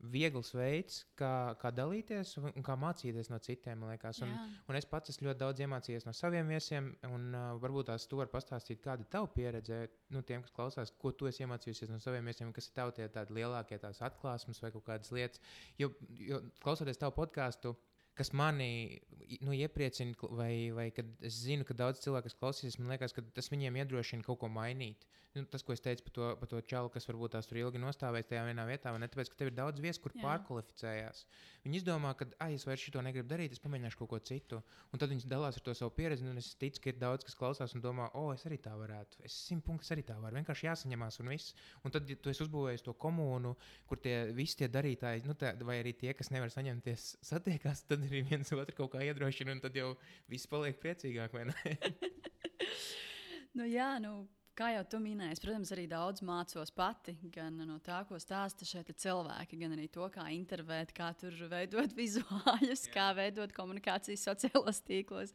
viegls veids, kā, kā dalīties un, un kā mācīties no citiem, man liekas. Un, un es pats esmu ļoti daudz iemācījies no saviem viesiem, un uh, varbūt tās tu vari pastāstīt, kāda ir tava pieredze, nu, tiem, kas klausās, ko tu esi iemācījusies no saviem viesiem, kas ir tavi tie tādi lielākie tās atklāsmes vai kaut kādas lietas. Jo, jo klausoties tavu podkāstu, kas mani nu, iepriecina, vai, vai kad es zinu, ka daudz cilvēku, kas klausīsies, man liekas, ka tas viņiem iedrošina kaut ko mainīt. Nu, tas, ko es teicu par to, par to čalu, kas varbūt tās tur ilgi nostāvēs tajā vienā vietā, ne tāpēc, ka tev ir daudz viesu, kur Jā. Pārkvalificējās. Viņi izdomā, ka, ai, es vairs šito negribu darīt, es pamēģināšu kaut ko citu. Un tad viņi dalās ar to savu pieredzi, un es ticu, ka ir daudz, kas klausās un domā, o, es arī tā varētu. Es simt punktus arī tā varu. Vienkārši jāsaņemās un viss. Un tad, ja tu esi uzbūvējis to komūnu, kur tie visi tie darītāji, nu, tā, vai arī tie, kas nevar saņemties, satiekās, tad arī viens otru kaut kā iedrošina, un tad jau viss paliek priecīgāk, vai ne? nu, jā, nu. Kā jau tu minēji, protams, arī daudz mācos pati, gan no tā, ko stāsta šeit cilvēki, gan arī to, kā intervēt, kā tur veidot vizuāļus, yeah. kā veidot komunikācijas sociālos tīklos.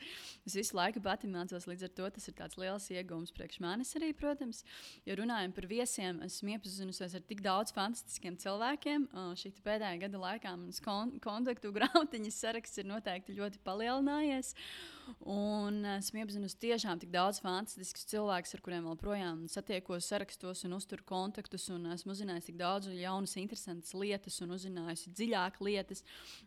Es visu laiku pati mācos, līdz ar to tas ir tāds liels iegūms priekš manis arī, protams. Ja runājam par viesiem, esmu iepazinusies ar tik daudz fantastiskiem cilvēkiem. Šī pēdējā gada laikā manas kon- kontaktu grāmatiņas saraksts ir noteikti ļoti palielinājies. Un esmu iepazinusi tiešām tik daudz fantastiskus cilvēkus, ar kuriem vēl projām satiekos, sarakstos un uzturu kontaktus. Un esmu uzzinājusi tik daudz jaunas, interesantas lietas un uzzinājusi dziļāk lietas.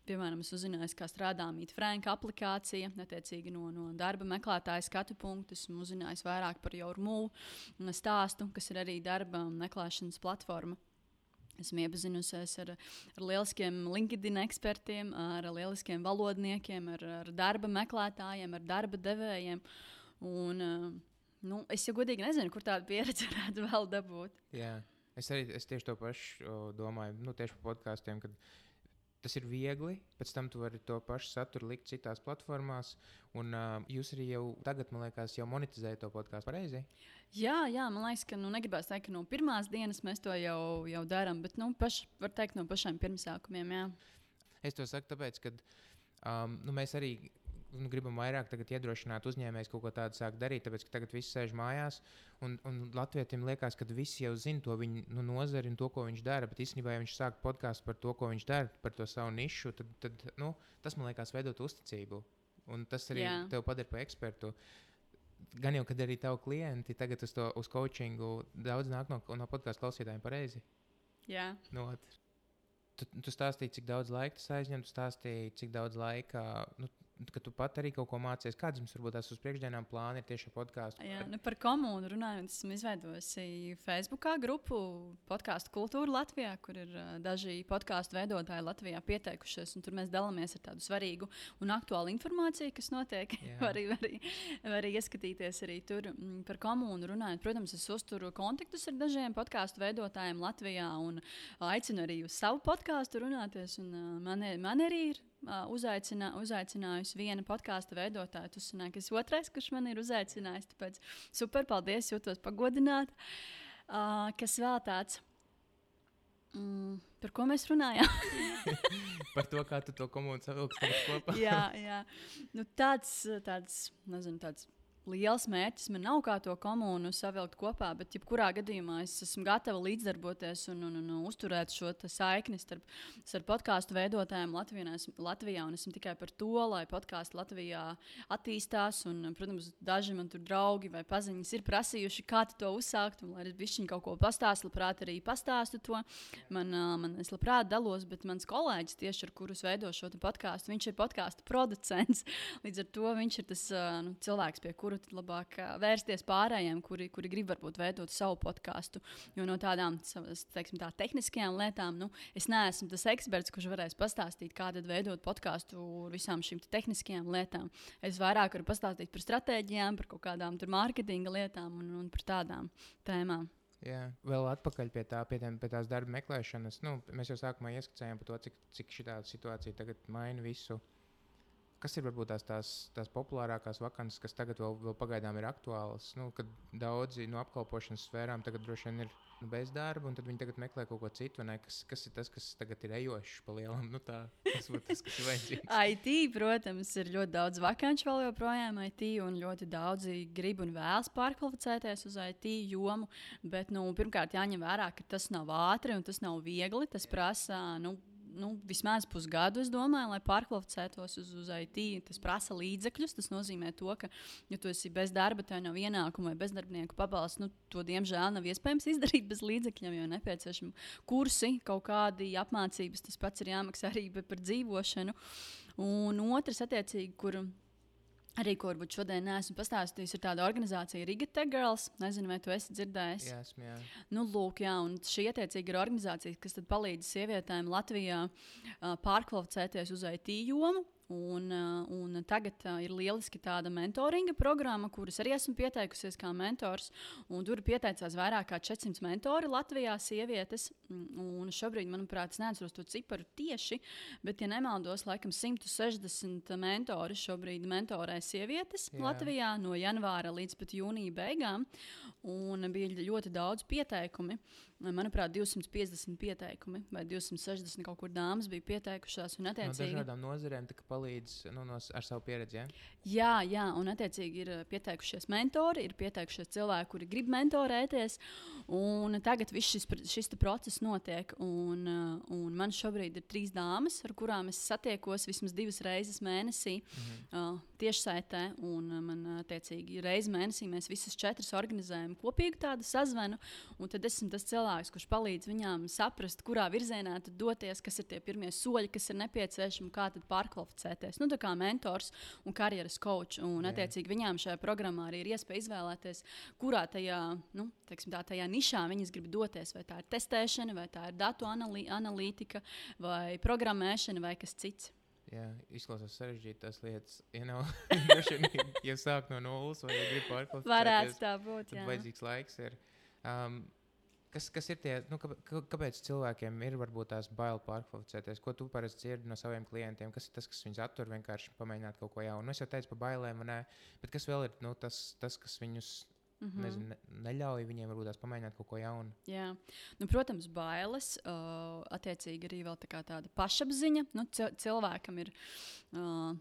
Piemēram, es uzzinājusi, kā strādā Meet Frank aplikācija, attiecīgi no, no darba meklētāja skatu punktu. Esmu uzzinājusi vairāk par Jaurmū stāstu, kas ir arī darba meklēšanas platforma. Esmu iepazinusies ar, ar lieliskiem LinkedIn ekspertiem, ar lieliskiem valodniekiem, ar, ar darba meklētājiem, ar darba devējiem. Un, nu, es jau godīgi nezinu, kur tādu pieredzi varētu vēl dabūt. Jā, es arī es tieši to pašu domāju, nu, tieši par podkāstiem, kad tas ir viegli, pēc tam tu vari to pašu saturu likt citās platformās, un uh, jūs arī jau tagad, man liekas, jau monetizējat to podkāstu pareizi? Jā, jā, man liekas, ka nu, negribās teikt, ka no pirmās dienas mēs to jau, jau darām, bet, nu, paš, var teikt no pašiem pirmsākumiem, jā. Es to saku tāpēc, ka um, nu, mēs arī nu, gribam vairāk tagad iedrošināt uzņēmējus kaut ko tādu sākt darīt, tāpēc, ka tagad viss sēž mājās, un, un latvietim liekas, ka visi jau zina to viņa nu, nozari un to, ko viņš dara, bet īstenībā, ja viņš sāk podkāstu par to, ko viņš dara, par to savu nišu, tad, tad nu, tas, man liekas, veidot uzticību, un tas arī Jā. Tev padara par ekspertu. Gan jau, kad arī tavi klienti tagad uz, to, uz coachingu daudz nāk no, no podkāstu klausītājiem pareizi. Jā. No, tu, tu stāstīji, cik daudz laika tas aizņem, tu stāstīji, cik daudz laika, nu, ka tu pat arī kaut ko mācies. Kāds jums varbūt tās uz priekšdienām plāni ir tieši ar podkāstu? Jā, nu par komūnu runājot, esmu izveidojusi Facebookā grupu podkāstu kultūru Latvijā, kur ir uh, daži podkāstu veidotāji Latvijā pieteikušies, un tur mēs dalāmies ar tādu svarīgu un aktuālu informāciju, kas notiek. var, var, var ieskatīties arī tur m, par komūnu runājot. Protams, es uzturu kontaktus ar dažiem podkāstu veidotājiem Latvijā un aicinu arī uz savu podkāstu runāties, un uh, man, man arī ir Uh, uzaicinā, uzaicinājusi viena podkāstu veidotāja. Tu sanāk, es otrais, kurš man ir uzaicinājis. Tāpēc super, paldies, jūtos pagodināta. Uh, kas vēl tāds? Mm, par ko mēs runājām? Par to, kā tu to komūnu savilksi kopā. jā, jā. Nu, tāds, tāds, nezinu, tāds liels mērķis man nav, kā to komūnu savilkt kopā, bet jebkurā gadījumā es esmu gatava līdzdarboties un, un, un, un uzturēt šo saikni starp, starp podkāstu veidotājiem Latvijā, Latvijā. Un esmu tikai par to, lai podkāsti Latvijā attīstās. Un, protams, daži man tur draugi vai paziņas ir prasījuši, kā to uzsākt. Un, lai es bišķiņ kaut ko pastāstu, labprāt arī pastāstu to. Man, man es labprāt dalos, bet mans kolēģis, tieši ar kurus veido šo podkāstu, viņš ir podkāstu producents. Līdz ar to viņš ir tas nu, cilvēks, pie kura tad labāk uh, vērsties pārējiem, kuri, kuri grib varbūt veidot savu podkāstu. Jo no tādām, teiksim, tā tehniskajām lietām, nu, es neesmu tas eksperts, kurš varēs pastāstīt, kā tad veidot podkāstu ar visām šīm tehniskajām lietām. Es vairāk varu pastāstīt par stratēģijām, par kaut kādām tur mārketinga lietām un, un par tādām tēmām. Jā, vēl atpakaļ pie, tā, pie, tiem, pie tās darba meklēšanas. Nu, mēs jau sākumā ieskicējām par to, cik, cik šī situācija tagad maina visu. Kas ir varbūt tās, tās, tās populārākās vakances, kas tagad vēl, vēl pagaidām ir aktuālas? Nu, kad daudzi no apkalpošanas sfērām tagad droši vien ir nu, bez darba, un tad viņi tagad meklē kaut ko citu. Kas, kas ir tas, kas tagad ir ejošs pa lielam? Nu, tā, tas būtu tas, kas ir vajadzīgs. I T, protams, ir ļoti daudz vakanču vēl joprojām I T, un ļoti daudzi grib un vēlas pārkvalificēties uz I T jomu. Bet, nu, pirmkārt, jāņem vērā, ka tas nav ātri un tas nav viegli. Tas prasa, nu, Nu, vismaz pusgadu, es domāju, lai pārkvalificētos uz, uz I T. Tas prasa līdzekļus. Tas nozīmē, to, ka, ja tu esi bez darba, tev nav ienākuma vai bezdarbnieku pabalsts, nu, to diemžēl nav iespējams izdarīt bez līdzekļiem, jo nepieciešami kursi, kaut kādi apmācības. Tas pats ir jāmaksā arī par dzīvošanu. Un otrs, attiecīgi, kur arī, ko varbūt šodien neesmu pastāstījis, ir tāda organizācija Riga Tech Girls. Nezinu, vai tu esi dzirdējis. Jā, esmu, jā. Nu, lūk, jā, un šī attiecīgi ir organizācija, kas tad palīdz sievietēm Latvijā uh, pārkvalificēties uz I T jomu. Un, uh, un tagad uh, ir lieliski tāda mentoringa programma, kuras arī esmu pieteikusies kā mentors. Tur pieteicās vairāk kā četri simti mentori Latvijā, sievietes. Un šobrīd, manuprāt, es neatceros to ciparu tieši, bet, ja nemaldos, laikam simt sešdesmit mentori šobrīd mentorē sievietes Jā. Latvijā no janvāra līdz pat jūnija beigām. Un bija ļoti daudz pieteikumi. Manuprāt, divsimt piecdesmit pieteikumi vai divsimt sešdesmit kaut kur dāmas bija pieteikušās. Un, attiecīgi, no dažādām nozarēm palīdz nu, no, ar savu pieredzi. Ja? Jā, jā, un attiecīgi ir pieteikušies mentori, ir pieteikušies cilvēki, kuri grib mentorēties. Un tagad viss šis, šis process notiek. Un, un man šobrīd ir trīs dāmas, ar kurām es satiekos vismaz divas reizes mēnesī mm-hmm. uh, tiešsaitē. Un man, attiecīgi, reizi mēnesī mēs visas četras organizējam kopīgu tādu sazvanu. Un tad esmu tas cilvēks, kurš palīdz viņām saprast, kurā virzienā tad doties, kas ir tie pirmie soļi, kas ir nepieciešami, kā tad pārkvalificēties. Nu, tā kā mentors un karjeras coach. Un, Jā. attiecīgi, viņām šajā programmā arī ir iespēja izvēlēties, kurā tajā, nu, teiksim, tā, tajā nišā viņas grib doties. Vai tā ir testēšana, vai tā ir datu analī- analītika, vai programmēšana, vai kas cits. Jā, izklausās sarežģīti tās lietas. Ja nav, ja sāk no nulles vai ja grib pārkvalificēties, Varētu tā būt, jā. Tad vajadzīgs laiks ir. Um, Kas, kas ir tie, nu, kāpēc cilvēkiem ir varbūt tās bail pārkvalificēties? Ko tu parasti dzirdi no saviem klientiem? Kas ir tas, kas viņus attur vienkārši pamēģināt kaut ko jaunu? Nu, es jau teicu par bailēm, ne, bet kas vēl ir nu, tas, tas, kas viņus mm-hmm. nezinu, ne, neļauj viņiem varbūt tās pamēģināt kaut ko jaunu? Jā, nu, protams, bailes, uh, attiecīgi arī vēl tā kā tāda pašapziņa. Nu, cilvēkam ir... Uh,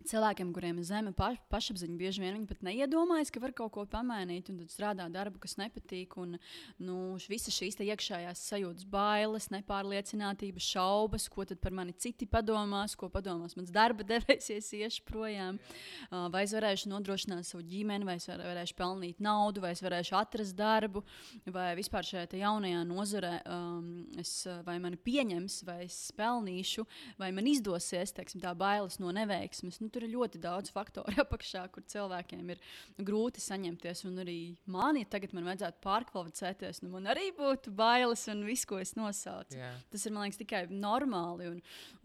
Cilvēkiem, kuriem ir zema paš, pašapziņa, bieži vien viņi pat neiedomājas, ka var kaut ko pamainīt, un tad strādā darbu, kas nepatīk. Un, nu, visas šīs iekšējās sajūtas, bailes, nepārliecinātība, šaubas, ko tad par mani citi padomās, ko padomās mans darba devējs, ja es iešu projām. Uh, vai es varēšu nodrošināt savu ģimeni, vai es var, varēšu pelnīt naudu, vai es varēšu atrast darbu, vai vispār šajā jaunajā nozarē um, es, vai mani pieņems, vai es pelnīšu, vai man izdosies, teiksim, tā bailes no neveiksmes. Nu, tur ir ļoti daudz faktoru apakšā, kur cilvēkiem ir grūti saņemties. Un arī man, ja tagad man vajadzētu pārkvalificēties, nu man arī būtu bailes un viss, ko es nosaucu. Yeah. Tas ir, man liekas, tikai normāli. Un,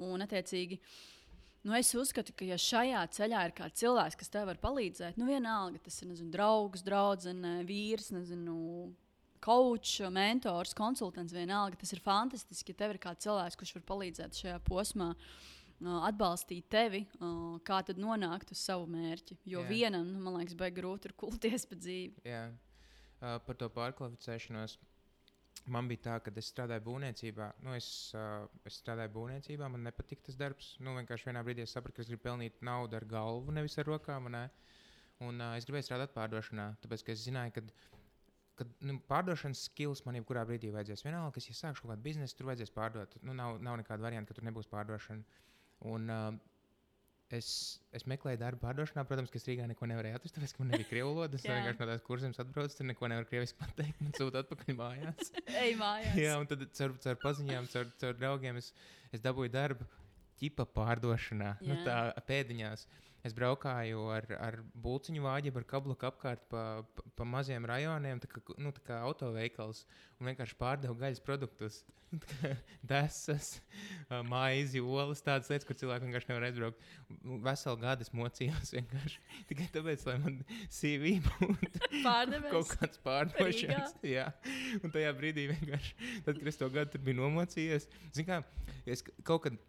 un attiecīgi, nu es uzskatu, ka ja šajā ceļā ir kāds cilvēks, kas tev var palīdzēt, nu vienalga, tas ir, nezinu, draugs, draudzene, vīrs, nezinu, coach, mentors, konsultants, vienalga, tas ir fantastiski, ja tev ir kāds cilvēks, kurš var palīdzēt šajā posmā. Atbalstīt tevi, kā tad nonākt uz savu mērķi. Jo Jā. vienam, nu, man liekas, baigi grūti ir kulties pa dzīvi. Jā, uh, par to pārkvalificēšanos. Man bija tā, ka es strādāju būvniecībā. Nu, es, uh, es strādāju būvniecībā, man nepatika tas darbs. Nu, vienkārši vienā brīdī es sapratu, ka es gribu pelnīt naudu ar galvu, nevis ar rokām. Ne? Un uh, es gribēju strādāt pārdošanā, tāpēc, ka es zināju, ka Kad, nu, pārdošanas skills man jebkurā brīdī vajadzēs. Vienalga, kas, ja sākšu kaut kādu biznesu, tur vajadzēs pārdot. Nu, nav, nav nekāda varianta, ka tur nebūs pārdošana. Un, uh, es, es meklēju darbu pārdošanā. Protams, ka es Rīgā neko nevarēju atrast, tāpēc, ka man nebija krievu valoda. Es vienkārši no tās kursiem atbraucu, tur neko nevaru krieviski pateikt. Man sūta atpakaļ mājās. Ej mājās. Jā, un tad caur, caur paziņām, caur, caur draugiem es, es dabūju darbu ķipa pārdošanā. Nu, tā pēdiņās. es braukāju ar, ar bulciņu vāģi, ar kabluku apkārt pa, pa, pa maziem rajoniem, tā kā, nu, tā kā autoveikals, un vienkārši pārdevu gaļas produktus. Desas, maizi, olas, tādas lietas, kur cilvēki vienkārši nevar aizbraukt. Veselu gadu es mocījos vienkārši tikai tāpēc, lai man C V būtu kaut kāds pārdošanas. Jā. Un tajā brīdī vienkārši, tad, kad es to gadu tur biju nomocījies, zin kā, es kaut kad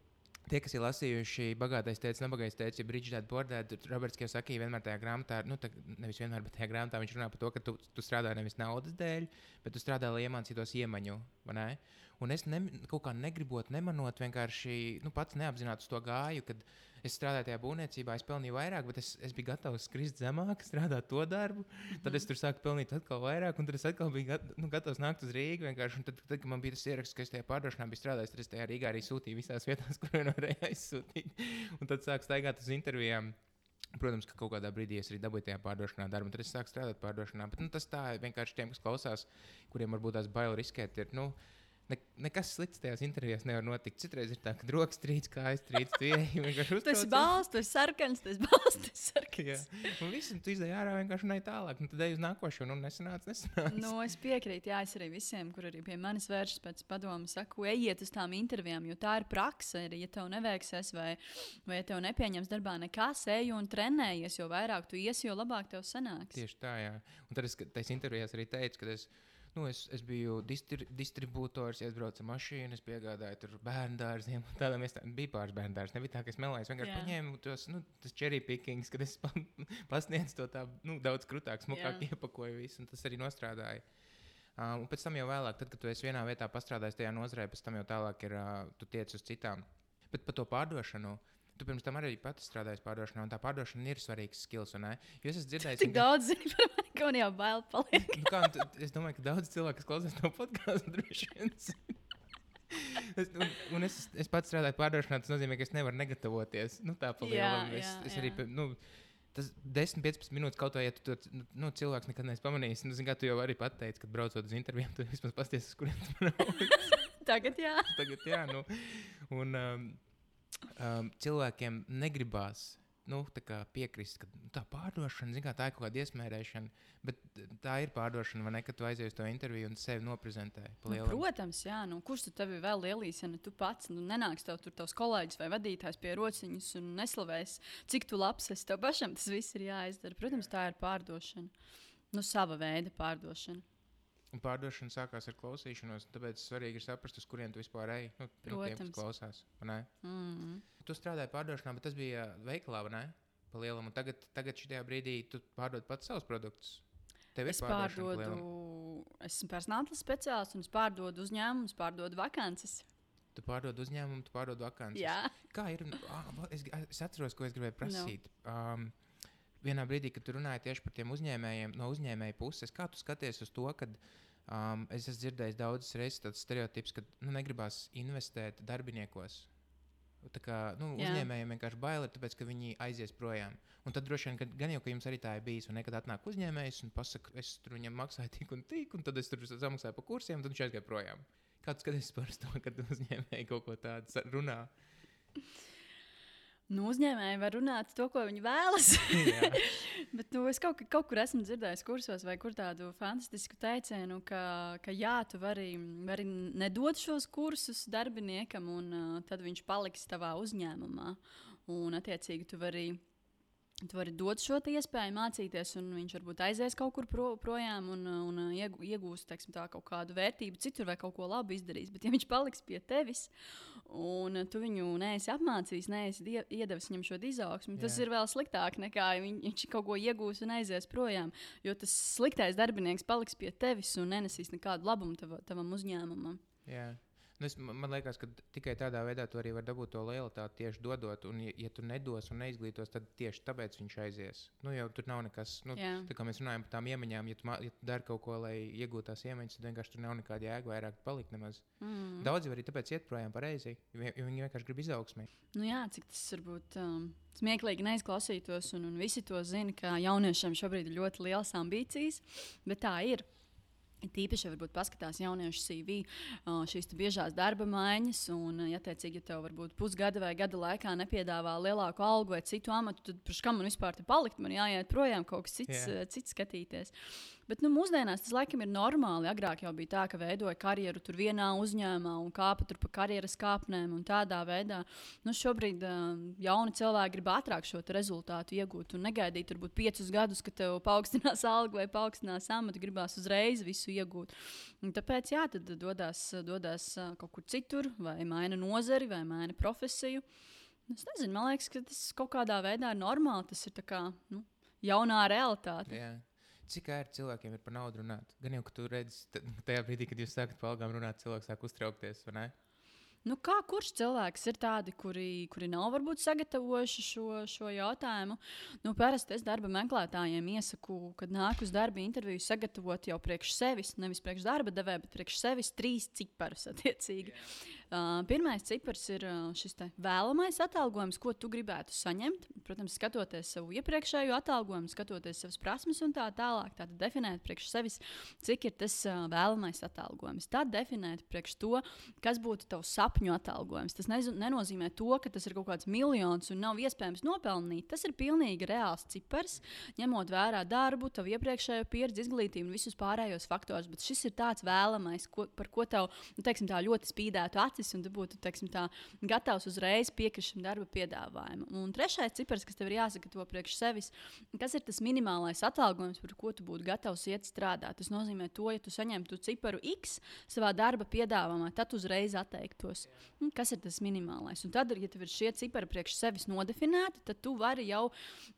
tie, kas ir lasījuši Bagātais tēvs, Nabagais tēvs, ja Bridget Dad Poor Dad, Roberts Kiyosaki vienmēr tajā grāmatā, nu, tā, nevis vienmēr, bet tajā grāmatā viņš runā par to, ka tu, tu strādā nevis naudas dēļ, bet tu strādā, lai iemācītos iemaņu, vai ne? Un es ne, kaut kā negribot, nemanot, vienkārši nu, pats neapzināti uz to gāju, kad es strādāju tajā būvniecībā, es pelnīju vairāk, bet es, es biju gatavs skrist zemāk, strādāt to darbu. Mm-hmm. Tad es tur sāku pelnīt atkal vairāk, un tad es atkal biju gat, nu, gatavs nākt uz Rīgu. Un tad, tad, kad man bija tas ieraksts, ka es tajā pārdošanā biju strādājis, tad es tajā Rīgā arī sūtīju visās vietās, kur vien varēju aizsūtīt. Un tad sāku staigāt uz intervijām. Protams, ka kaut kādā brīdī es arī dabūju tajā pārdošanā darbu, un tad es sāku strādāt pārdošanā. Bet nu, tas tā vienkārši tiem, kas klausās, kuriem varbūt tās bail riskēt, ir, nu, Ne, nekas slikts tajās intervijās nevar notikt. Citreiz ir tā, ka rokas trīc, kājas trīc, tu ieeji vienkārši uztraucies. Tu esi balsts, tu esi sarkans, tu esi balsts, tu esi sarkans. Jā, un viss, un tu izdeji ārā vienkārši un ej tālāk. Un tad ej uz nākošo, un nesanāc, nesanāc. Nu, es piekrītu, jā, es arī visiem, kur arī pie manis vēršas pēc padomu, saku, ejiet uz tām intervijām, jo tā ir praksa. Ja tev neveiksies vai, vai ja tev nepieņems darbā nekas, ej un trenējies, jo vairāk tu iesi, jo labāk tev sanāks. Tieši tā, jā. Un tad es tais intervijās arī teicu, ka es Nu, es, es biju distri, distribūtors, ja es braucu ar mašīnu, es piegādāju tur bērndārziem. Tādām es tā, bija pāris bērndārs. Nebija tā, ka es melēju. Es vienkārši yeah. paņēmu tos nu, cherry pickings, kad es pa, pasniedzu to tā nu, daudz krutāk, smukāk yeah. iepakoju visu. Un tas arī nostrādāja. Um, un pēc tam jau vēlāk, tad, kad tu esi vienā vietā pastrādājis tajā nozarē, pēc tam jau tālāk ir, uh, tu tiec uz citām. Bet par to pārdošanu. Tu pirms tam arī pati strādājies pārdošanā, un tā pārdošana ir svarīgs skills, vai ne? Jo es esmu dzirdējis... Tik daudz zini par mani, ka man jau bail paliek. Nu kā, tu, es domāju, ka daudz cilvēku, kas klausās no podcastu, droši vien. es, un, un es, es pats strādāju pārdošanā, tas nozīmē, ka es nevaru negatavoties. Nu tā pa lielam. Es, es arī, nu, tas desmit līdz piecpadsmit minūtes kaut vai, ja tu to nu, cilvēks nekad neesi pamanījis. Nu, zin kā, tu jau arī pateici, kad braucot uz intervijām, tu vismaz pasties, uz kuriem tu brauc. Tagad jā. Tagad jā, nu. Un... Um, Um, cilvēkiem negribās nu, tā piekrist, ka nu, tā pārdošana, kā, tā ir kaut kāda iesmērēšana, bet tā ir pārdošana, vai ne, kad tu aizies to interviju un sevi noprezentē. Nu, protams, jā, nu, kurš tu tevi vēl lielīs, ja ne tu pats, nu, nenāks tev tur tavs kolēģis vai vadītājs pie rociņas un neslavēs, cik tu labs esi, tev pašam tas viss ir jāizdara. Protams, tā ir pārdošana, nu, sava veida pārdošana. Un pārdošana sākās ar klausīšanos, tāpēc svarīgi ir saprast, uz kuriem tu vispār ej. Nu, nu, tiem, kas klausās, vai ne? Mm-hmm. Tu strādāji pārdošanā, bet tas bija veikalā, vai ne? Pa lielam, un tagad, tagad šitajā brīdī tu pārdod pats savus produktus. Tev ir es pārdodu, esmu personāla speciālists un es pārdodu uzņēmumus, pārdodu vakances. Tu pārdod uzņēmumu, tu pārdod vakances. Jā. Kā ir? Ah, es, es atceros, ko es gribēju prasīt. No. Um, vienā brīdī, kad tu runāji tieši par tiem uzņēmējiem, no uzņēmēja puses, kā tu skaties uz to, kad um, es esmu dzirdējis daudzas reizes tāds stereotips, ka nu, negribās investēt darbiniekos. Tā kā nu, uzņēmējiem vienkārši bail ir, tāpēc, ka viņi aizies projām. Un tad droši vien, ka gan jau, ka jums arī tā ir bijis, un nekad atnāk uzņēmējs un pasaka, es tur viņam maksāju tik un tik, un tad es tur samaksāju pa kursiem, un tad viņš aizgāja projām. Kā tu skaties par to, kad uzņēmēji kaut ko tādu runā? Nu, uzņēmēji var runāt to, ko viņi vēlas. Bet nu, es kaut, kaut kur esmu dzirdējis kursos vai kur tādu fantastisku teicienu, ka, ka jā, tu vari, vari nedot šos kursus darbiniekam, un uh, tad viņš paliks tavā uzņēmumā. Un, attiecīgi, tu vari, tu vari dot šo iespēju mācīties, un viņš varbūt aizies kaut kur pro, projām un, un iegūs teiksim, tā, kaut kādu vērtību citur vai kaut ko labu izdarīs. Bet ja viņš paliks pie tevis, un tu viņu neesi apmācījis, neesi iedevis viņam šo izaugsmu, tas ir vēl sliktāk nekā viņ, viņš kaut ko iegūs un aizies projām. Jo tas sliktais darbinieks paliks pie tevis un nenesīs nekādu labumu tav, tavam uzņēmumam. Jā. Nu es, man liekas, ka tikai tādā veidā tu arī vari dabūt to lojalitāti tieši dodot. Un, ja, ja tu nedos un neizglītos, tad tieši tāpēc viņš aizies. Nu, jau tur nav nekas, nu, tā kā mēs runājam par tām iemaņām, ja tu, ja tu dari kaut ko, lai iegūtu tās iemaņas, tad vienkārši tur nav nekāda jēga vairāk palikt nemaz. Mm. Daudzi arī tāpēc iet projām pareizi, jo viņi vienkārši grib izaugsmē. Nu jā, cik tas varbūt um, smieklīgi neizklausītos, un, un visi to zina, ka jauniešiem šobrīd ir ļoti lielas ambīcijas, bet tā ir. Tīpaši, ja varbūt paskatās jauniešu C V, uh, šīs biežās darba maiņas, un, ja, attiecīgi, ja tev varbūt pusgada vai gada laikā nepiedāvā lielāku algu vai citu amatu, tad priekš kam man vispār te palikt? Man jāiet projām kaut kas cits, yeah. cits skatīties. Bet nu, mūsdienās tas laikam ir normāli. Agrāk jau bija tā, ka veidoja karjeru tur vienā uzņēmumā un kāpa tur pa karjeras kāpnēm un tādā veidā. Nu, šobrīd uh, jauni cilvēki grib ātrāk šo rezultātu iegūt un negaidīt turbūt piecus gadus, ka tev paaugstinās algu vai paaugstinās amatu, gribās uzreiz visu iegūt. Un tāpēc jā, tad dodas, dodas uh, kaut kur citur, vai maina nozari, vai maina profesiju. Es nezinu, man liekas, ka tas kaut kādā veidā ir normāli. Tas ir tā kā nu, jaunā realitāte. Yeah. Cik ērti cilvēkiem ir par naudu runāt? Gan jau, ka tu redzi, tajā brīdī, kad jūs sākat par algām runāt, cilvēks sāk uztraukties, vai ne? Nu, kā kurš cilvēks ir tādi, kuri, kuri nav varbūt sagatavojuši šo, šo jautājumu? Nu, parasti es darba meklētājiem iesaku, kad nāk uz darba interviju, sagatavot jau priekš sevis, nevis priekš darba devēja, bet priekš sevis trīs ciparus attiecīgi. Yeah. Uh, pirmais cipars ir uh, šis vēlamais atalgojums, ko tu gribētu saņemt. Protams, skatoties savu iepriekšējo atalgojumu, skatoties savas prasmes un tā tālāk. Tātad definēt priekš sevis, cik ir tas uh, vēlamais atalgojums. Tad definēt priekš to, kas būtu tavs sapņu atalgojums. Tas nez- nenozīmē to, ka tas ir kaut kāds miljons un nav iespējams nopelnīt. Tas ir pilnīgi reāls cipars, ņemot vērā darbu, tavu iepriekšējo pieredzi, izglītību un visus pārējos faktorus. Bet šis ir tāds vēlamais, ko, par ko tev nu, teiksim, tā ļoti spīdētu acis. Un tu būtu teiksim, tā, gatavs uzreiz piekrist šim darba piedāvājumam. Un trešais cipars, kas tev ir jāsagatavo priekš sevis, kas ir tas minimālais atalgojums, par ko tu būtu gatavs iet strādāt. Tas nozīmē to, ja tu saņemtu ciparu X savā darba piedāvājumā, tad uzreiz atteiktos. Un kas ir tas minimālais? Un tad, ja tev ir šie cipari priekš sevis nodefinēti, tad tu vari jau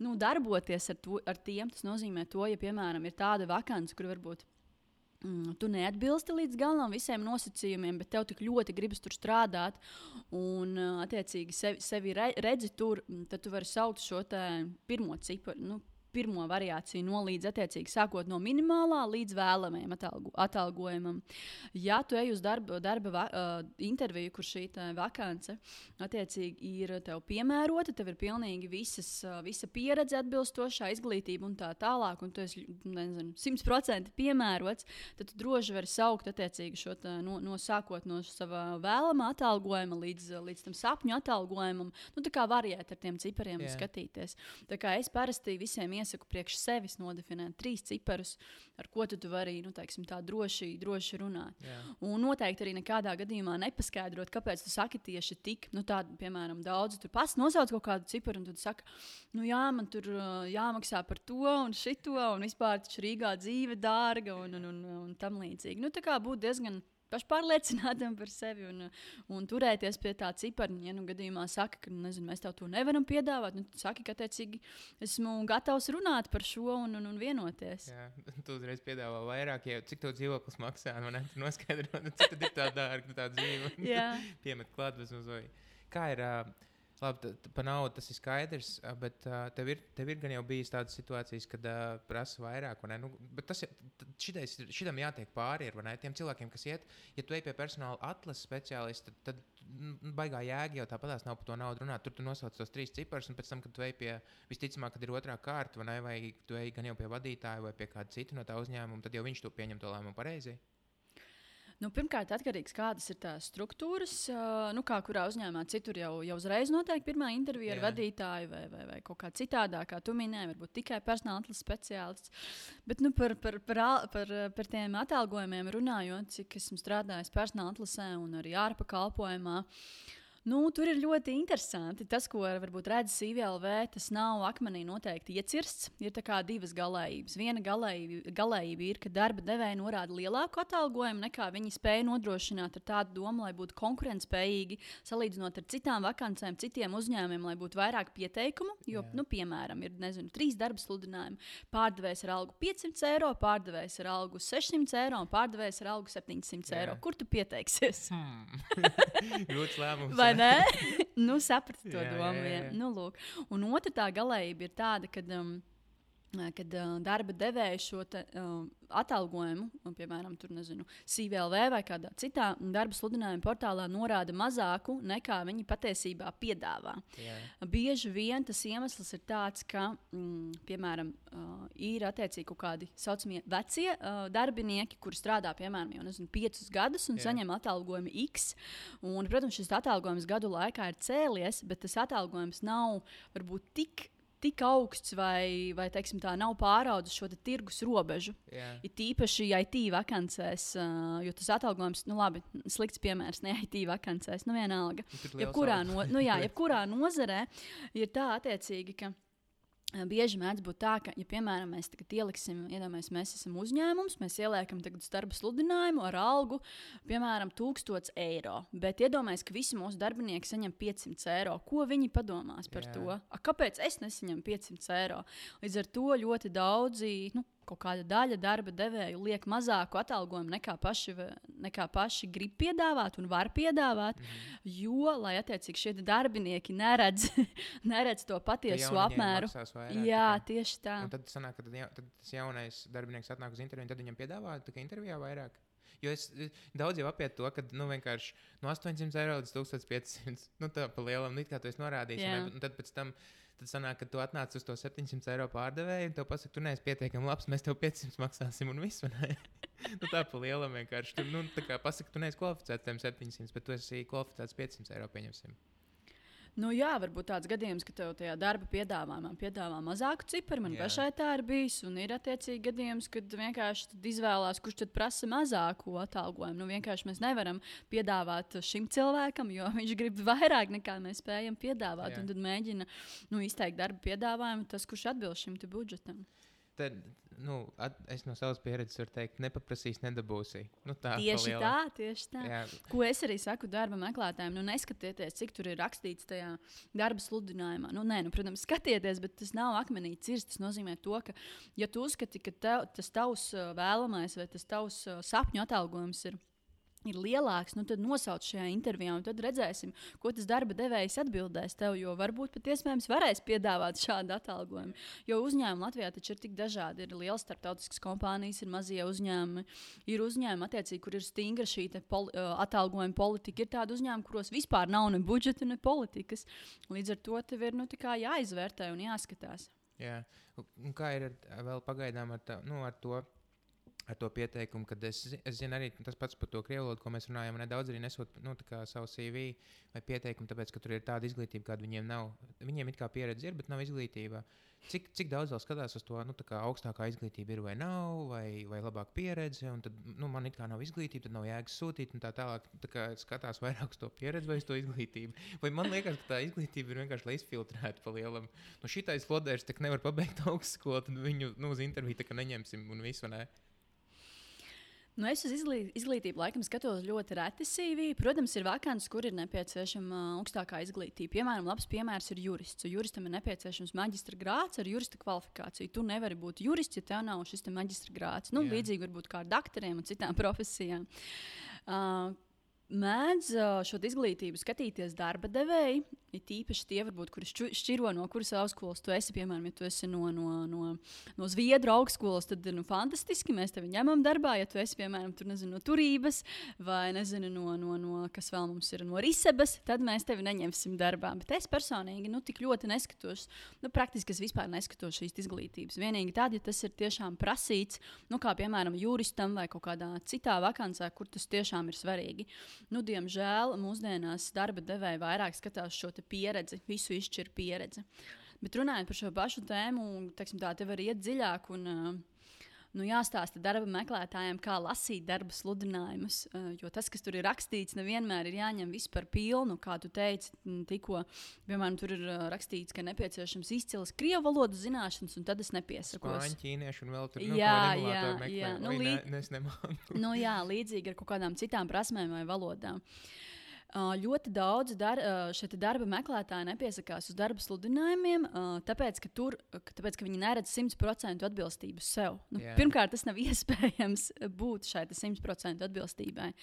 nu, darboties ar, to, ar tiem. Tas nozīmē to, ja, piemēram, ir tāda vakance, kur varbūt Mm, tu neatbilsti līdz galam visiem nosacījumiem, bet tev tik ļoti gribas tur strādāt un, attiecīgi, sevi, sevi redzi tur, tad tu vari saukt šo pirmo ciparu. Nu, pirmo variāciju no līdz attiecīgi sākot no minimālā līdz vēlamajam atalgu, atalgojumam. Ja tu ej uz darba, darba va, uh, interviju, kur šī vakance attiecīgi ir tev piemērota, tev ir pilnīgi visas, uh, visa pieredze atbilstošā, izglītība un tā tālāk, un tu esi, nezinu, simt procenti piemērots, tad tu droši vari saukt attiecīgi šo tā, no, no sākot no sava vēlamā atalgojuma līdz, līdz tam sapņu atalgojumam. Nu, tā kā variēt ar tiem cipariem yeah. skatīties. Tā kā es parasti visiem iesaku priekš sevis nodefinēt trīs ciparus, ar ko tu, tu vari nu, teiksim, tā droši, droši runāt. Yeah. Un noteikti arī nekādā gadījumā nepaskaidrot, kāpēc tu saki tieši tik, nu tādu, piemēram, daudz, tur pats nosauc kaut kādu ciparu, un tu saki, nu jā, man tur jāmaksā par to un šito, un vispār taču Rīgā dzīve dārga un, un, un, un tam līdzīgi. Nu tā kā būt diezgan pašpārliecinātam par sevi un, un turēties pie tā cipara. Ja nu gadījumā saka, ka nezinu, mēs tev to nevaram piedāvāt, nu, tad saki, ka attiecīgi esmu gatavs runāt par šo un, un, un vienoties. Jā, tu uzreiz piedāvā vairāk, ja cik tev dzīvoklis maksā, man ne, tu noskaidro, cik tad ir tā dārga tā dzīve. Piemet klāt bez mazliet. Kā ir... Uh, Labi, t- t- par naudu tas ir skaidrs, bet uh, tev, ir, tev ir gan jau bijis tādas situācijas, kad uh, prasa vairāk. Nu, bet tas šitais, šitam jātiek pāri ir, tiem cilvēkiem, kas iet. Ja tu ej pie personāla atlases speciālista, tad, tad baigā jēga jau tāpatās nav par to naudu runāt. Tur tu nosauc tos trīs ciparus, un pēc tam, kad tu ej pie, visticamāk, kad ir otrā kārta, vai, ne, vai tu ej gan jau pie vadītāja vai pie kāda cita no tā uzņēmuma, tad jau viņš to pieņem to lēmumu pareizi. Nu, pirmkārt, atkarīgs kādas ir tās struktūras, uh, nu, kā kurā uzņēmumā citur jau, jau uzreiz notiek pirmā intervija ar vadītāju vai, vai, vai kaut kā citādā, kā tu minēji, varbūt tikai personāla atlases speciālists. Bet nu, par, par, par, par, par tiem atalgojumiem runājot, cik esmu strādājis personāla atlasē un arī ārpakalpojumā, nu, tur ir ļoti interesanti. Tas, ko varbūt redz C V L V, tas nav akmenī noteikti iecirsts. Ir tā kā divas galējības. Viena galējība, galējība ir, ka darba devēja norāda lielāku atalgojumu, nekā viņi spēja nodrošināt ar tādu domu, lai būtu konkurentspējīgi, salīdzinot ar citām vakancēm, citiem uzņēmumiem, lai būtu vairāk pieteikumu. Jo, yeah. nu, piemēram, ir nezinu, trīs darba sludinājumi. Pārdevējs ar algu piecsimt eiro, pārdevējs ar algu sešsimt eiro un pārdevējs ar algu septiņsimt eiro. Yeah. Kur tu pieteiksies? Hmm. Grūts lēmums. Vai ne? Nu, sapratu to jā, domu. Jā, jā. Nu, lūk. Un otra tā galējība ir tāda, ka um, kad uh, darba devēja šo te, uh, atalgojumu, un, piemēram, tur, nezinu, C V L V vai kādā citā darba sludinājuma portālā norāda mazāku nekā viņi patiesībā piedāvā. Yeah. Bieži vien tas iemesls ir tāds, ka, mm, piemēram, uh, ir attiecīgi kaut kādi saucamie vecie uh, darbinieki, kuri strādā, piemēram, jau nezinu, piecus gadus un yeah. saņem atalgojumu X. Un, protams, šis atalgojums gadu laikā ir cēlies, bet tas atalgojums nav varbūt tik tik augsts vai, vai teiksim, tā nav pāraudis šo tirgus robežu. Yeah. Ir tīpaši I T vakancēs, uh, jo tas atalgojums, nu labi, slikts piemērs, ne I T vakancēs, nu vienalga. Jebkurā, no, nu jā, jebkurā nozarē ir tā attiecīgi, ka bieži mēdz būt tā, ka, ja, piemēram, mēs tagad ieliksim, iedomājamies, mēs esam uzņēmums, mēs ieliekam tagad darba sludinājumu ar algu, piemēram, tūkstots eiro. Bet iedomājamies, ka visi mūsu darbinieki saņem piecsimt eiro. Ko viņi padomās par Jā. to? A, kāpēc es nesaņemu piecsimt eiro? Līdz ar to ļoti daudzi, nu, kaut kāda daļa darba devēju liek mazāku atalgojumu nekā paši, nekā paši grib piedāvāt un var piedāvāt, mm-hmm. jo, lai attiecīgi šie darbinieki neredz, neredz to patieso apmēru. Vairāk, Jā, tā. tieši tā. Un tad sanāk, ka tad, ja, tad tas jaunais darbinieks atnāk uz interviju, tad viņam piedāvā tā kā intervijā vairāk. Jo es daudz jau apiet to, ka nu, vienkārši no astoņsimt eiro līdz tūkstoš piecsimt, nu tā pa lielam, nu it kā tu esi norādījis. Un, un tad pēc tam Tad sanāk, ka tu atnāc uz to septiņsimt eiro pārdevēju, un tev pasaka, tu neesi pietiekami labs, mēs tev piecsimt maksāsim, un viss, vai ne? Nu, tā pa lielam vienkārši. Tu, nu, tā kā pasaka, tu neesi kvalificēts tiem septiņsimt, bet tu esi kvalificēts piecsimt eiro, pieņemsim. Nu, jā, varbūt tāds gadījums, ka tev tajā darba piedāvājumā piedāvā mazāku ciparu. Man pašai tā ir bijis. Un ir attiecīgi gadījums, kad vienkārši izvēlās, kurš tad prasa mazāku atalgojumu. Nu, vienkārši mēs nevaram piedāvāt šim cilvēkam, jo viņš grib vairāk nekā mēs spējam piedāvāt. Jā. Un tad mēģina nu, izteikt darba piedāvājumu tas, kurš atbilst šim budžetam. Tad, nu, at, es no savas pieredzes varu teikt, nepaprasīs, nedabūsi. Nu, tā, tieši tā, tieši tā. Jā. Ko es arī saku darba meklētājiem, nu neskatieties, cik tur ir rakstīts tajā darba sludinājumā. Nu, nē, nu, protams, skatieties, bet tas nav akmenī cirsts. Tas nozīmē to, ka, ja tu uzskati, ka tev, tas tavs vēlamais vai tas tavs sapņu atalgojums ir ir lielāks, nu tad nosauc šajā intervijā, un tad redzēsim, ko tas darba devējs atbildēs tev, jo varbūt pat iespējams varēs piedāvāt šādu atalgojumu. Jo uzņēmumi Latvijā taču ir tik dažādi. Ir lielas starptautiskas kompānijas, ir mazie uzņēmumi, ir uzņēmumi, attiecīgi, kur ir stingra šī poli, atalgojuma politika. Ir tādi uzņēmumi, kuros vispār nav ne budžeta, ne politikas. Līdz ar to tev ir nu, jāizvērtē un jāskatās. Jā. Un kā ir ar, vēl pagaidām ar, tā, nu, ar to? Ar to pieteikumu, kad es, es zinu arī tas pats par to krievu valodu, ko mēs runājam, un nedaudz arī nesot nu, savu C V vai pieteikumu, tāpēc, ka tur ir tāda izglītība, kāda viņiem nav. Viņiem it kā pieredze ir, bet nav izglītība. Cik, cik daudz vēl skatās uz to, nu, tā kā augstākā izglītība ir vai nav, vai, vai labāka pieredze, un tad, nu, man it kā nav izglītība, tad nav jēgas sūtīt, un tā tālāk, tā kā skatās vairāk uz to pieredzi vai uz to izglītību. Vai man liekas, ka tā izglītība ir vienkārši, lai izfiltrētu pa lielam. Nu, šitais lodērs tak nevar pabeigt augstskolu, tad viņu, nu, uz interviju tā kā neņemsim un visu, ne? Nu, es uz izglītību laikam skatos ļoti reti C V. Protams, ir vakances, kur ir nepieciešama augstākā izglītība. Piemēram, labs piemērs ir jurists. Juristam ir nepieciešams maģistra grāds ar jurista kvalifikāciju. Tu nevari būt jurists, ja tev nav šis maģistra grāds. Nu, līdzīgi varbūt kā ar doktoriem un citām profesijām. Uh, Mēdz šo izglītību skatīties darba devēji. Ir tīpaši tie, varbūt, kuri šķiro no kuras augstskolas tu esi. Piemēram, ja tu esi no, no, no, no Zviedru augstskolas, tad ir nu, fantastiski. Mēs tevi ņemam darbā. Ja tu esi, piemēram, tur, nezinu, no Turības vai nezinu, no, no, no, kas vēl mums ir, no Risebas, tad mēs tevi neņemsim darbā. Bet es personīgi nu, tik ļoti neskatos. Nu, praktiski es vispār neskatos šīs izglītības. Vienīgi tad, ja tas ir tiešām prasīts, nu, kā piemēram juristam vai kaut kādā citā vakancē, kur tas tiešām ir svarīgi. Nu, diemžēl mūsdienās darba devēji vairāk skatās šo pieredzi, visu izšķir pieredzi. Bet runājot par šo pašu tēmu, teiksim, tā te var iet dziļāk un nu, jāstāsta darba meklētājiem, kā lasīt darba sludinājumus. Jo tas, kas tur ir rakstīts, nevienmēr ir jāņem viss par pilnu. Kā tu teici, tikko, piemēram, tur ir rakstīts, ka nepieciešams izcils krievu valodas zināšanas, un tad es nepiesakos. Spāņu, ķīniešu un vēl tur nu, jā, jā, jā. Nu, Oi, lī... ne, es nemāku. Nu, jā, līdzīgi ar kaut kādām citām prasmēm vai valodām. Uh, ļoti daudz dar, uh, šeit darba meklētāji nepiesakās uz darba sludinājumiem, uh, tāpēc, ka tur, ka, tāpēc, ka viņi neredz simt procentu atbilstību sev. Nu, Jā. pirmkārt, tas nav iespējams būt šai simt procentu atbilstībai.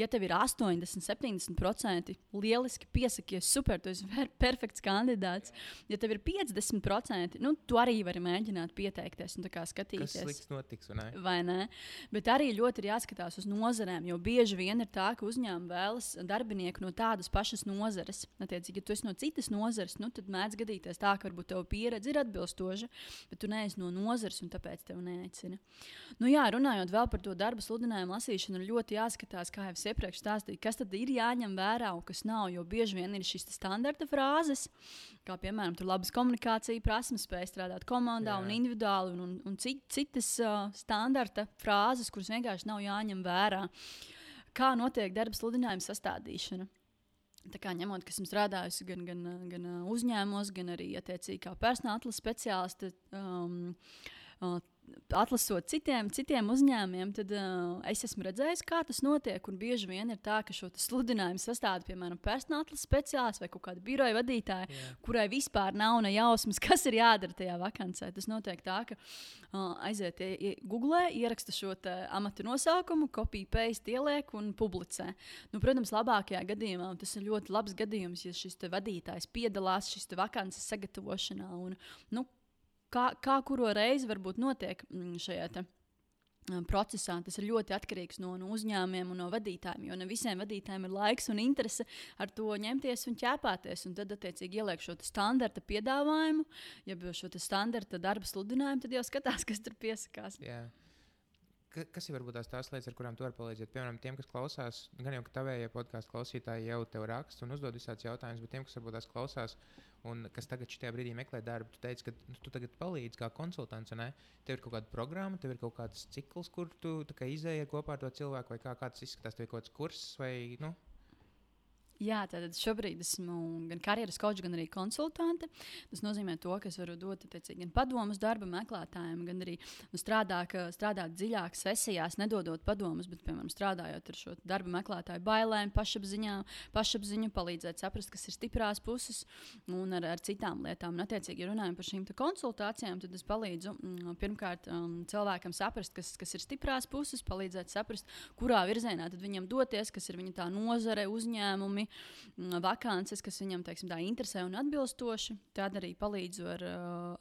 Ja tev ir astoņdesmit, septiņdesmit procenti, lieliski piesakies, super, tu esi perfekts kandidāts. Ja tev ir piecdesmit procenti, nu, tu arī vari mēģināt pieteikties un tā kā skatīties. Kas slikts notiks, vai ne? Vai ne? Bet arī ļoti ir jāskatās uz nozarēm, jo bieži vien ir tā, ka uzņēmumi vēlas darbinieku no tādas pašas nozares. Attiecīgi, ja tu esi no citas nozares, nu, tad mēdz gadīties tā, ka varbūt tev pieredze ir atbilstoša, bet tu neesi no nozares un tāpēc tev neaicina. Nu, jā, runājot vēl par to darba sludinājumu lasīšanu, ir ļoti jāskatās, kā jau es iepriekš stāstīju, kas tad ir jāņem vērā un kas nav, jo bieži vien ir šīs standarta frāzes, kā piemēram, tur labas komunikācija prasmes, spēj strādāt komandā jā. Un individuāli un, un, un cit, citas uh, standarta frāzes, kuras vienkārši nav jāņem vērā. Kā notiek darba sludinājuma sastādīšana? Tā kā ņemot, ka esmu strādājusi gan, gan, gan uzņēmumos, gan arī attiecīgi kā personāla atlases speciāliste, um, uh, atlasot citiem, citiem uzņēmumiem, tad uh, es esmu redzējis, kā tas notiek. Un bieži vien ir tā, ka šo sludinājumu sastāda, piemēram, personāla atlases speciālists vai kaut kāda biroja vadītāja, yeah. kurai vispār nav ne jausmas, kas ir jādara tajā vakancē. Tas notiek tā, ka uh, aiziet ie, Google, ieraksta šo amatu nosaukumu, copy-paste ieliek un publicē. Nu, protams, labākajā gadījumā, un tas ir ļoti labs gadījums, ja šis vadītājs piedalās šis vakances sagatavošanā un, nu, Kā, kā kuro reizi varbūt notiek šajā te, um, procesā. Tas ir ļoti atkarīgs no, no uzņēmumiem un no vadītājiem, jo ne visiem vadītājiem ir laiks un interese ar to ņemties un ķēpāties. Un tad, attiecīgi, ieliek šo standarta piedāvājumu, ja šo standarta darba sludinājumu, tad jau skatās, kas tur piesakās. Yeah. Kas ir varbūt tās, tās lietas, ar kurām tu vari palīdzēt? Piemēram, tiem, kas klausās, gan jau ka tavējie podkāstu klausītāji jau tev raksta un uzdod visādus jautājumus, bet tiem, kas varbūt tās klausās un kas tagad šajā brīdī meklē darbu, tu teici, ka tu tagad palīdzi kā konsultants, ne? Tev ir kaut kāda programma, tev ir kaut kāds cikls, kur tu izēji kopā ar to cilvēku, vai kā, kā tas izskatās, tev ir kaut kāds kurss vai, nu? Jā, tātad šobrīd esmu gan karjeras kočs, gan arī konsultante. Tas nozīmē to, ka es varu dot teicīgi, gan padomus darba meklētājiem, gan arī nu, strādāt, strādāt dziļāk sesijās, nedodot padomus, bet, piemēram, strādājot ar šo darba meklētāju bailēm, pašapziņā, pašapziņu, palīdzēt saprast, kas ir stiprās puses un ar, ar citām lietām. Un, attiecīgi, ja runājam par šīm konsultācijām, tad es palīdzu m, pirmkārt um, cilvēkam saprast, kas, kas ir stiprās puses, palīdzēt saprast, kurā virzienā tad viņam doties, kas ir viņa tā nozare, uzņēmumi, vakances, kas viņam teiksim, tā interesē un atbilstoši. Tad arī palīdzu ar,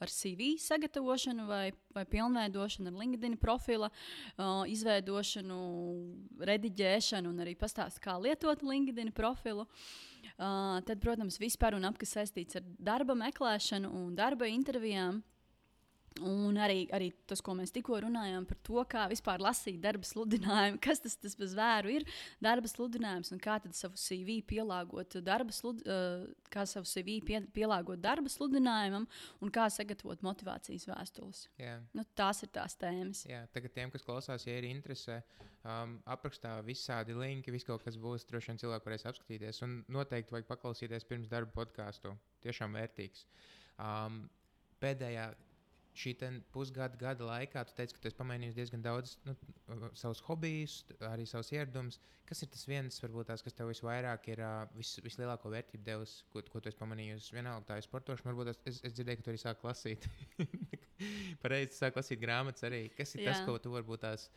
ar C V sagatavošanu vai, vai pilnveidošanu, ar LinkedIn profila uh, izveidošanu, rediģēšanu un arī pastāstu, kā lietot LinkedIn profilu. Uh, tad, protams, vispār un ap, kas saistīts ar darba meklēšanu un darba intervijām. Un arī, arī tas, ko mēs tikko runājām par to, kā vispār lasīt darba sludinājumu, kas tas, tas bez vēru ir darba sludinājums un kā tad savu C V pielāgot darba, slud, uh, kā savu C V pie, pielāgot darba sludinājumam un kā sagatavot motivācijas vēstules. Yeah. Nu, tās ir tās tēmas. Jā, tagad tiem, kas klausās, ja ir interese, um, aprakstā visādi linki, viss kaut kas būs, droši vien cilvēki varēs apskatīties un noteikti vajag paklausīties pirms darba podcastu. Tiešām vērtīgs. Um, pēdējā šī pusgada gada laikā tu teici, ka tu esi pamainījis diezgan daudz nu, savus hobijus, arī savus ieradumus. Kas ir tas viens, varbūt tās, kas tev visvairāk ir uh, vis, vislielāko vērtību devis, ko, ko tu esi pamanījusi? Vienalga tā ir sportošana, varbūt es, es, es dzirdēju, ka tu arī sāki lasīt. Pareizi, tu sāki lasīt grāmatas arī. Kas ir Jā. Tas, ko tu varbūt tās,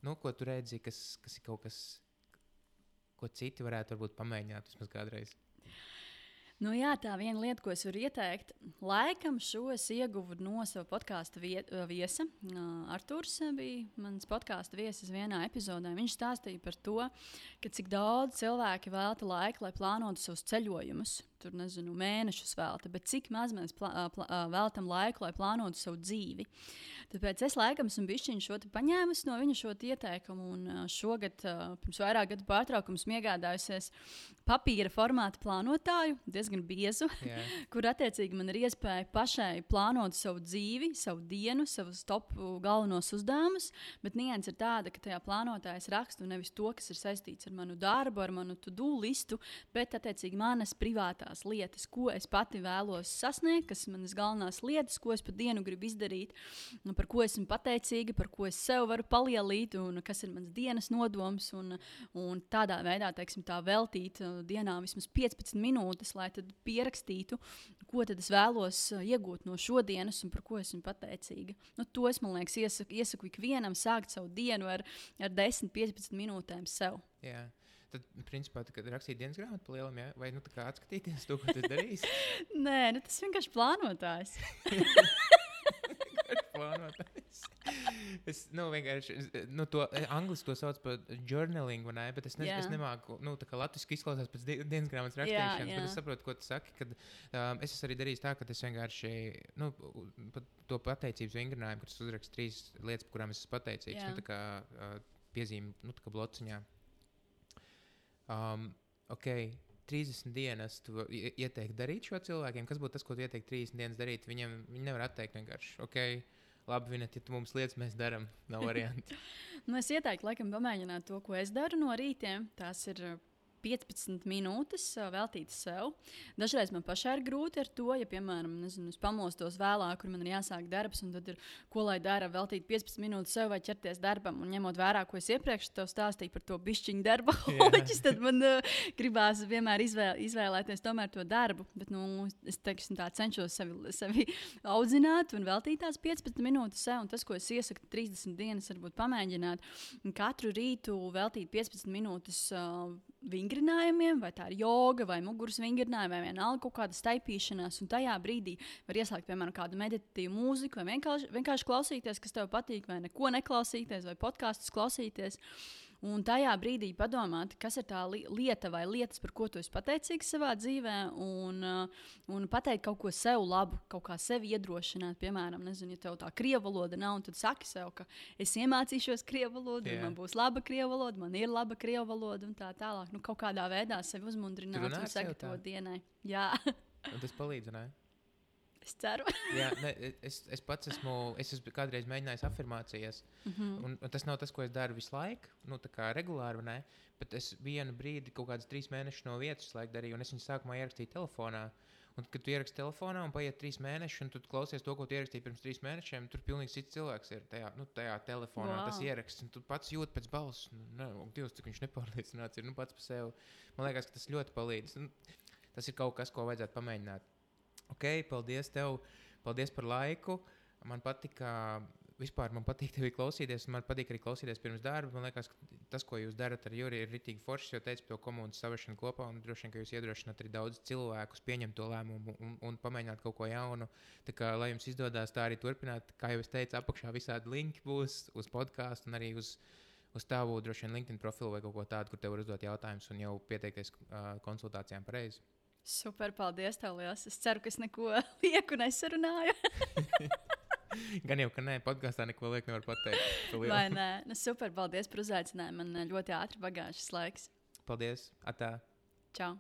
nu, ko tu redzi, kas, kas ir kaut kas, ko citi varētu varbūt pamēģināt vismaz kādreiz? Nu jā, tā viena lieta, ko es varu ieteikt, laikam šo es ieguvu no sava podkāsta viesa. Arturs bija mans podkāsta viesis vienā epizodē. Viņš stāstīja par to, ka cik daudz cilvēki velta laiku, lai plānotu savus ceļojumus. Tur, nezinu, mēnešus velta, bet cik maz mēs plā, plā, veltam laiku, lai plānotu savu dzīvi. Tāpēc es laikam esmu bišķiņu šo te paņēmusi no viņa šo ieteikumu, un šogad, pirms vairāk gadu pārtraukums, iegādājusies papīra formāta plānotāju, diezgan biezu, yeah. kur attiecīgi man ir iespēja pašai plānot savu dzīvi, savu dienu, savus top galvenos uzdevumus, bet nianses ir tāda, ka tajā plānotājs rakstu nevis to, kas ir saistīts ar manu darbu, ar manu to-do listu, bet attiecīgi manas privātās tās lietas, ko es pati vēlos sasniegt, kas ir manas galvenās lietas, ko es pa dienu gribu izdarīt, un par ko esmu pateicīga, par ko es sev varu palielīt, un kas ir mans dienas nodoms. Un, un tādā veidā, teiksim, tā veltīt dienā vismaz piecpadsmit minūtes, lai tad pierakstītu, ko tad es vēlos iegūt no šodienas un par ko esmu pateicīga. Nu, to es, man liekas, iesaku, iesaku ikvienam sākt savu dienu ar, ar desmit līdz piecpadsmit minūtēm sev. Jā. Tad, principā, kad rakstīt dienas grāmatu pa lielam, jā? Vai nu tā kā atskatīties to, ko tu darīsi? Nē, nu tas vienkārši plānotājs. plānotājs. Es, nu, vienkārši, nu, to, angliski to sauc par journaling, vai ne? Bet es, ne, es nemāku, nu, tā kā latviski izklausās pēc di dienas grāmatas rakstīšanas, jā, jā. Bet es saprotu, ko tu saki, kad um, es esmu arī darījis tā, ka es vienkārši, nu, pat to pateicības vingrinājumu, kad es uzrakstu trīs lietas, par kurām es esmu pateicīgs, jā. Nu, tā kā uh, piezīme, nu, tā kā blociņā. Um, ok, trīsdesmit dienas tu ieteiktu darīt šo cilvēkiem. Kas būtu tas, ko tu ieteiktu trīsdesmit dienas darīt? Viņam, viņi nevar atteikt vienkārši. Ok, labi, Vineta, ja tu mums lietas mēs darām, nav varianti. Nu, es ieteiktu laikam pamēģināt to, ko es daru no rītiem. Tās ir piecpadsmit minūtes veltītas sev. Dažreiz man pašai ir grūti ar to, ja, piemēram, nezinu, es pamostos vēlāk, kur man ir jāsāk darbs, un tad ir, ko lai dara, veltīt piecpadsmit minūtes sev vai ķerties darbam, un ņemot vērā, ko es iepriekš tev stāstīju par to bišķiņu darba holiķis, tad man uh, gribās vienmēr izvēl, izvēlēties tomēr to darbu, bet, nu, es, teiksim, tā cenšos sevi, sevi audzināt un veltīt tās piecpadsmit minūtes sev, un tas, ko es iesaku trīsdesmit dienas, varbūt pamēģināt, katru rītu veltīt piecpadsmit minūtes uh, vingrinājumiem, vai tā ir joga, vai muguras vingrinājumi, vai vienalga kaut kāda staipīšanās, un tajā brīdī var ieslēgt, piemēram, kādu meditatīvu mūziku, vai vienkārši, vienkārši klausīties, kas tev patīk, vai neko neklausīties, vai podkastus klausīties. Un tajā brīdī padomāt, kas ir tā li lieta vai lietas, par ko tu esi pateicīgs savā dzīvē, un, uh, un pateikt kaut ko sev labu, kaut kā sevi iedrošināt. Piemēram, nezinu, ja tev tā krievu valoda nav, tad saki sev, ka es iemācīšos krievu valodu, yeah. Man būs laba krievu valoda, man ir laba krievu valoda un tā tālāk. Nu, kaut kādā veidā sevi uzmundrināt un sagatavot dienai. Jā. Un tas palīdz, ne? Es ceru. Jā, ne, es, es pats esmu, es esmu kādreiz mēģinājis afirmācijas, mm-hmm. un, un tas nav tas, ko es daru visu laiku, nu tā kā regulāri, vai ne, bet es vienu brīdi, kaut kādas trīs mēnešus no vietas laiku darīju, un es viņu sākumā ierakstīju telefonā, un kad tu ieraksti telefonā un paiet trīs mēneši, un tu klausies to, ko tu ierakstīji pirms trīs mēnešiem, tur pilnīgi cits cilvēks ir tajā, nu, tajā telefonā, wow. Tas ieraksts, un tu pats jūt pēc balss, nu, ne, Dievs, cik viņš nepārliecināts ir, nu, pats par sevi. Man liekas, ka tas ļoti palīdz. Nu, tas ir kaut kas, ko vajadzētu pamēģināt. Ok, paldies tev, paldies par laiku. Man patika, vispār man patīk tevi klausīties, un man patīk arī klausīties pirms darba. Man liekas, ka tas, ko jūs darat ar Juri, ir ritīgi foršs, jo teicu par to komandas savešanu kopā, un droši vien, ka jūs iedrošināt arī daudz cilvēkus pieņemt to lēmumu un, un pamēģināt kaut ko jaunu. Tā kā, lai jums izdodās tā arī turpināt, kā jau es teicu, apakšā visādi linki būs uz podcastu un arī uz, uz tavu droši vien LinkedIn profilu vai kaut ko tādu, kur tev var uzdot jautājumus un jau pieteikties uh, konsultācijām pareizi. Super, paldies tev liels. Es ceru, ka es neko lieku nesarunāju. Gan jau, ka nē, podkāstā neko lieku nevar pateikt. Vai nē? Nu, super, paldies par uzaicinājumu. Man ļoti ātri pagāja šis laiks. Paldies. Atā. Čau.